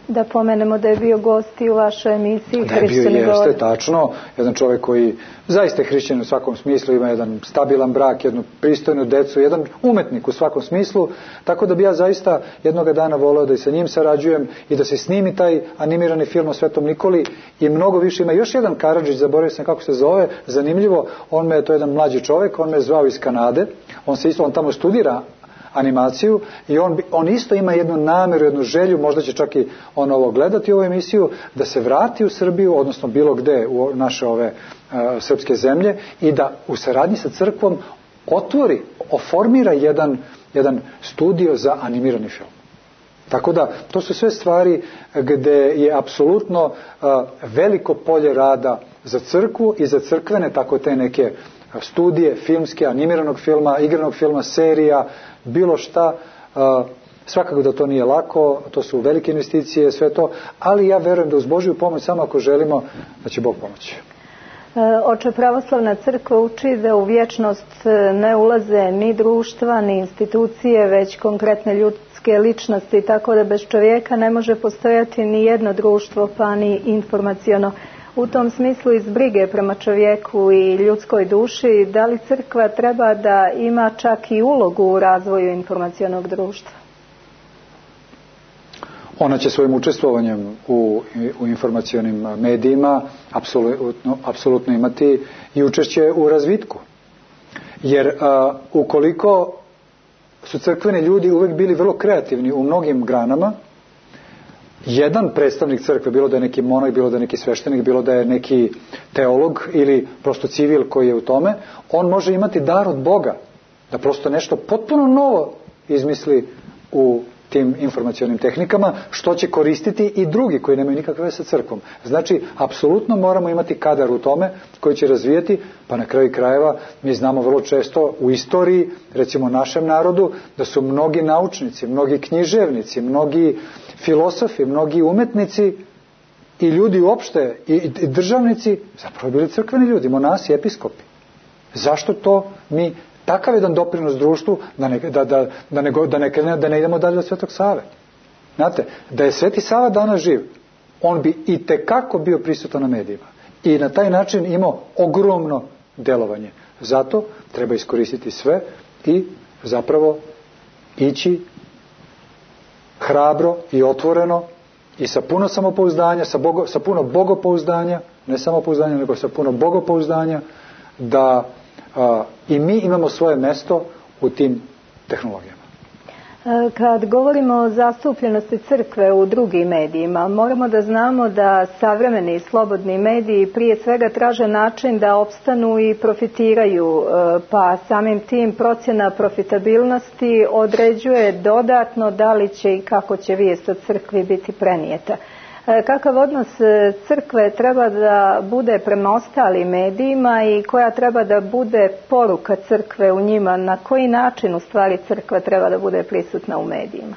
Da pomenemo da je bio gost i u vašoj emisiji Hrišćani govore. Da je bio, jeste, tačno. Jedan čovjek koji zaista je hrišćanin u svakom smislu, ima jedan stabilan brak, jednu pristojnu decu, jedan umetnik u svakom smislu, tako da bi ja zaista jednoga dana voleo da i sa njim sarađujem i da se snimi taj animirani film o Svetom Nikoli i mnogo više. Ima još jedan Karadžić, zaboravio sam kako se zove, zanimljivo, on me, to je jedan mlađi čovjek, on me je zvao iz Kanade, on se isto, on tamo studira animaciju i on, on isto ima jednu namjeru, jednu želju, možda će čak i on ovo gledati ovu emisiju, da se vrati u Srbiju, odnosno bilo gde u naše ove uh, srpske zemlje i da u saradnji sa crkvom otvori, oformira jedan, jedan studio za animirani film. Tako da, to su sve stvari gde je apsolutno uh, veliko polje rada za crkvu i za crkvene, tako te neke studije, filmske, animiranog filma, igranog filma, serija, bilo šta. Uh, svakako da to nije lako, to su velike investicije, sve to, ali ja verujem da uz Božju pomoć, samo ako želimo, da će Bog pomoći. Oče, pravoslavna crkva uči da u vječnost ne ulaze ni društva, ni institucije, već konkretne ljudske ličnosti, tako da bez čovjeka ne može postojati ni jedno društvo, pa ni informaciono. U tom smislu iz brige prema čovjeku i ljudskoj duši, da li crkva treba da ima čak i ulogu u razvoju informacionog društva? Ona će svojim učestvovanjem u, u informacionim medijima apsolutno, apsolutno imati i učešće u razvitku. Jer a, ukoliko su crkveni ljudi uvijek bili vrlo kreativni u mnogim granama, jedan predstavnik crkve, bilo da je neki monah, bilo da je neki sveštenik, bilo da je neki teolog ili prosto civil koji je u tome, on može imati dar od Boga da prosto nešto potpuno novo izmisli u tim informacionim tehnikama, što će koristiti i drugi koji nemaju nikakve veze sa crkvom. Znači, apsolutno moramo imati kadar u tome koji će razvijati, pa na kraju krajeva mi znamo vrlo često u istoriji, recimo našem narodu, da su mnogi naučnici, mnogi književnici, mnogi filosofi, mnogi umetnici i ljudi uopšte, i, i državnici, zapravo bili crkveni ljudi, monasi, episkopi. Zašto to mi takav jedan doprinos društvu da ne, da, da, da, ne, da, ne, da ne idemo dalje od Svetog Save? Znate, da je Sveti Sava danas živ, on bi i tekako bio prisutan na medijima i na taj način imao ogromno delovanje. Zato treba iskoristiti sve i zapravo ići hrabro i otvoreno i sa puno samopouzdanja, sa, bogo, sa puno bogopouzdanja, ne samopouzdanja, nego sa puno bogopouzdanja, da a, i mi imamo svoje mesto u tim tehnologijama. Kad govorimo o zastupljenosti crkve u drugim medijima, moramo da znamo da savremeni i slobodni mediji prije svega traže način da opstanu i profitiraju, pa samim tim procjena profitabilnosti određuje dodatno da li će i kako će vijest o crkvi biti prenijeta. Kakav odnos crkve treba da bude prema ostalim medijima i koja treba da bude poruka crkve u njima, na koji način u stvari crkva treba da bude prisutna u medijima?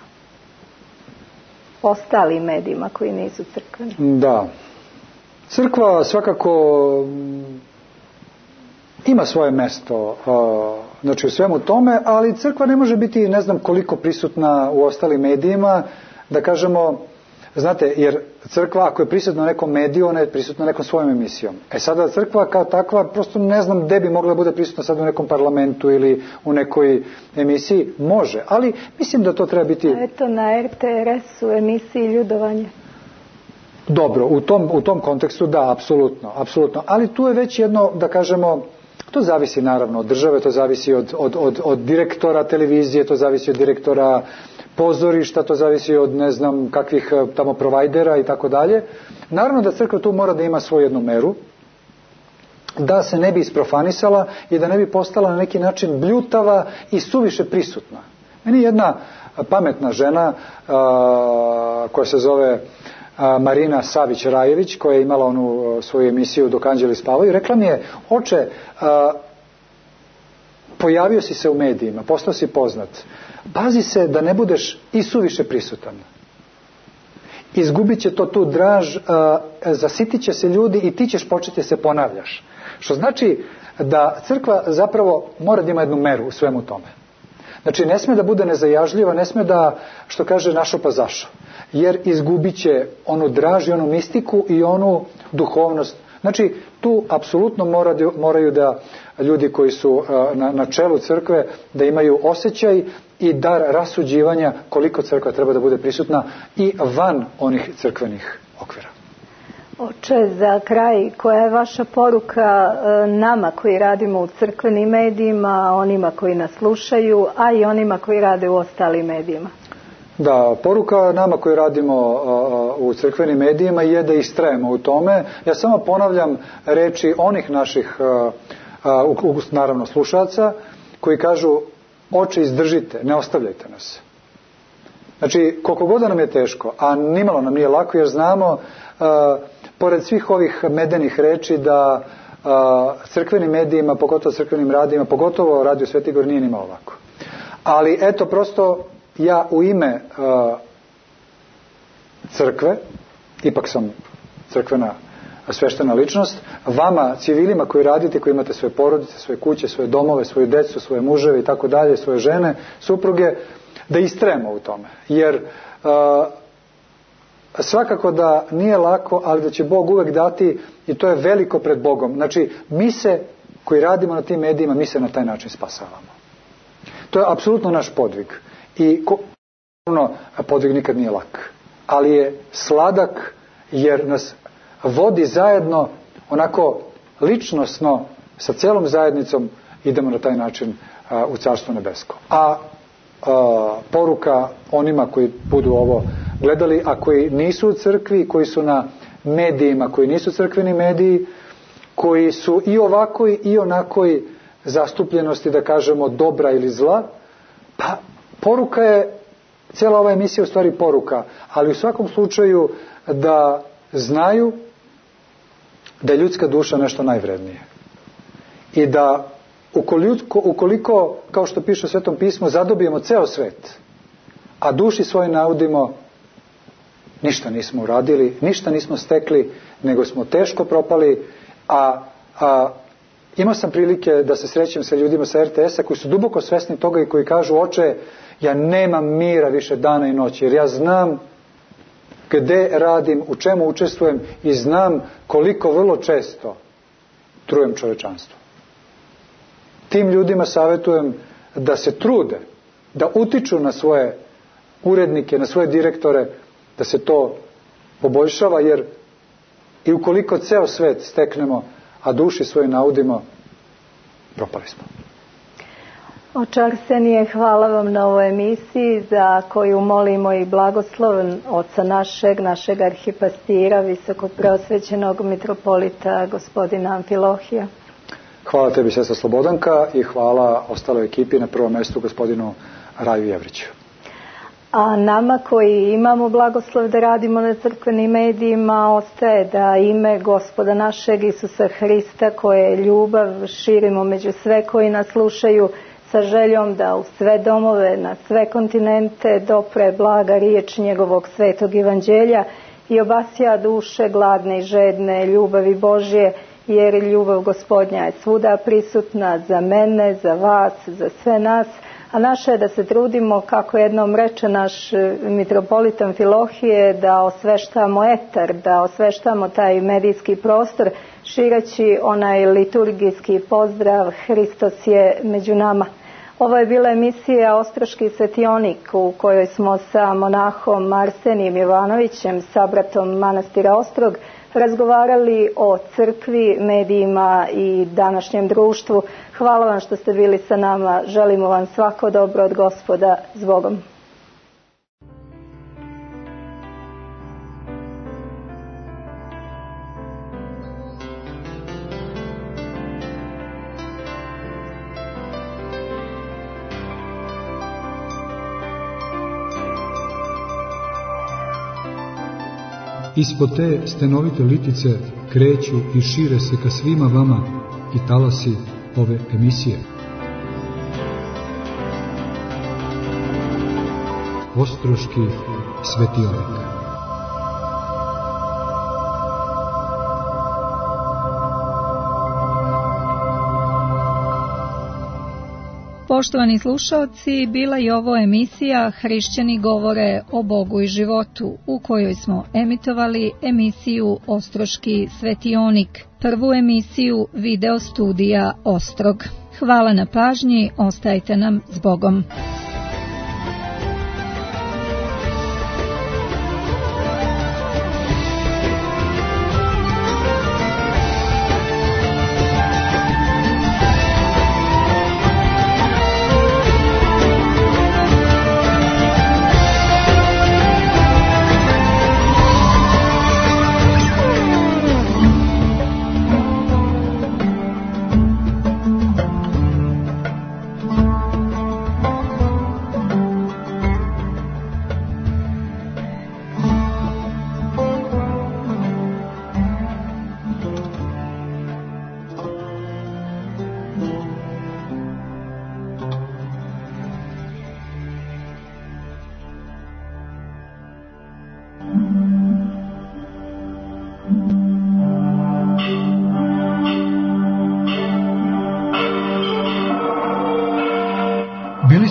Ostalim medijima koji nisu crkveni. Da. Crkva svakako ima svoje mesto znači u svemu tome, ali crkva ne može biti ne znam koliko prisutna u ostalim medijima, da kažemo. Znate, jer crkva ako je prisutna u nekom mediju, ona je prisutna nekom svojom emisijom. E sada crkva kao takva, prosto ne znam gde bi mogla bude prisutna sad u nekom parlamentu ili u nekoj emisiji. Može, ali mislim da to treba biti... Eto na er te er es u emisiji Ljudovanje. Dobro, u tom, u tom kontekstu da, apsolutno, apsolutno. Ali tu je već jedno, da kažemo, to zavisi naravno od države, to zavisi od, od, od, od direktora televizije, to zavisi od direktora pozorišta, to zavisi od ne znam kakvih tamo provajdera i tako dalje. Naravno da crkva tu mora da ima svoju jednu meru, da se ne bi isprofanisala i da ne bi postala na neki način bljutava i suviše prisutna. Meni jedna pametna žena a, koja se zove a, Marina Savić-Rajević, koja je imala onu svoju emisiju Dok anđeli spavaju, rekla mi je, oče, a, pojavio si se u medijima, postao si poznat, pazi se da ne budeš i suviše prisutan. Izgubit će to tu draž, zasitit će se ljudi i ti ćeš početi se ponavljaš. Što znači da crkva zapravo mora da ima jednu meru u svemu tome. Znači ne sme da bude nezajažljiva, ne sme da, što kaže, našo pa zašo. Jer izgubit će onu draž i onu mistiku i onu duhovnost. Znači tu apsolutno moraju, moraju da ljudi koji su na, na čelu crkve da imaju osjećaj i dar rasuđivanja koliko crkva treba da bude prisutna i van onih crkvenih okvira. Oče, za kraj, koja je vaša poruka nama koji radimo u crkvenim medijima, onima koji nas slušaju, a i onima koji rade u ostalim medijima? Da, poruka nama koji radimo u crkvenim medijima je da istrajemo u tome. Ja samo ponavljam reči onih naših, naravno, slušaca, koji kažu: oče, izdržite, ne ostavljajte nas. Znači, koliko god nam je teško, a nimalo nam nije lako, jer znamo, pored svih ovih medenih reči, da crkvenim medijima, pogotovo crkvenim radijima, pogotovo Radio Sveti Igor, nije nimalo lako. Ali eto, prosto ja u ime uh, crkve, ipak sam crkvena sveštena ličnost, vama, civilima koji radite, koji imate svoje porodice, svoje kuće, svoje domove, svoju decu, svoje muževe i tako dalje, svoje žene, supruge, da istrajemo u tome. Jer uh, svakako da nije lako, ali da će Bog uvek dati, i to je veliko pred Bogom. Znači, mi se, koji radimo na tim medijima, mi se na taj način spasavamo. To je apsolutno naš podvig. I naravno, podvig nikad nije lak, ali je sladak, jer nas vodi zajedno, onako ličnosno, sa celom zajednicom idemo na taj način a, u Carstvo nebesko. A, a poruka onima koji budu ovo gledali, a koji nisu u crkvi, koji su na medijima, koji nisu crkveni mediji, koji su i ovakoj i onakoj zastupljenosti, da kažemo, dobra ili zla, pa poruka je, cijela ova emisija je u stvari poruka, ali u svakom slučaju da znaju da je ljudska duša nešto najvrednije. I da ukoliko, ukoliko, kao što piše u Svetom pismu, zadobijemo ceo svet, a duši svoj naudimo, ništa nismo uradili, ništa nismo stekli, nego smo teško propali, a, a imao sam prilike da se srećem sa ljudima sa er te esa koji su duboko svesni toga i koji kažu: oče, ja nemam mira više dana i noći, jer ja znam gde radim, u čemu učestvujem i znam koliko vrlo često trujem čovečanstvo. Tim ljudima savjetujem da se trude, da utiču na svoje urednike, na svoje direktore, da se to poboljšava, jer i ukoliko ceo svet steknemo, a duši svoje naudimo, propali smo. Oče Arsenije, hvala vam na ovoj emisiji za koju molimo i blagoslov oca našeg, našeg arhipastira, visoko preosvećenog mitropolita gospodina Amfilohija. Hvala tebi, sestra Slobodanka, i hvala ostaloj ekipi, na prvom mjestu gospodinu Raju Jevriću. A nama koji imamo blagoslov da radimo na crkvenim medijima, ostaje da ime Gospoda našeg Isusa Hrista, koje je ljubav, širimo među sve koji nas slušaju, sa željom da u sve domove, na sve kontinente dopre blaga riječ njegovog svetog evanđelja i obasja duše gladne i žedne ljubavi Božje, jer ljubav Gospodnja je svuda prisutna za mene, za vas, za sve nas. A naše je da se trudimo, kako jednom reče naš mitropolit Amfilohije, da osveštamo etar, da osveštamo taj medijski prostor, šireći onaj liturgijski pozdrav: Hristos je među nama. Ovo je bila emisija Ostroški svetionik, u kojoj smo sa monahom Arsenijem Jovanovićem, sabratom manastira Ostrog, razgovarali o crkvi, medijima i današnjem društvu. Hvala vam što ste bili sa nama. Želimo vam svako dobro od Gospoda. S Bogom. Ispod te stenovite litice kreću i šire se ka svima vama i talasi ove emisije. Ostroški svetionik. Poštovani slušaoci, bila je ovo emisija Hrišćani govore o Bogu i životu, u kojoj smo emitovali emisiju Ostroški svetionik, prvu emisiju video studija Ostrog. Hvala na pažnji, ostajte nam s Bogom.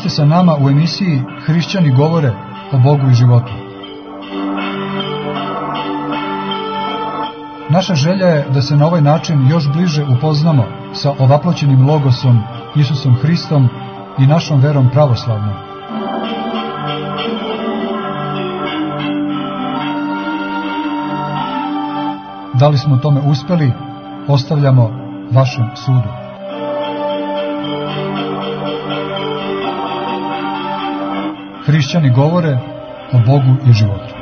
ste sa nama u emisiji Hrišćani govore o Bogu i životu. Naša želja je da se na ovaj način još bliže upoznamo sa ovaploćenim logosom Isusom Hristom i našom verom pravoslavnom. Da li smo tome uspeli, ostavljamo vašem sudu. Hrišćani govore o Bogu i životu.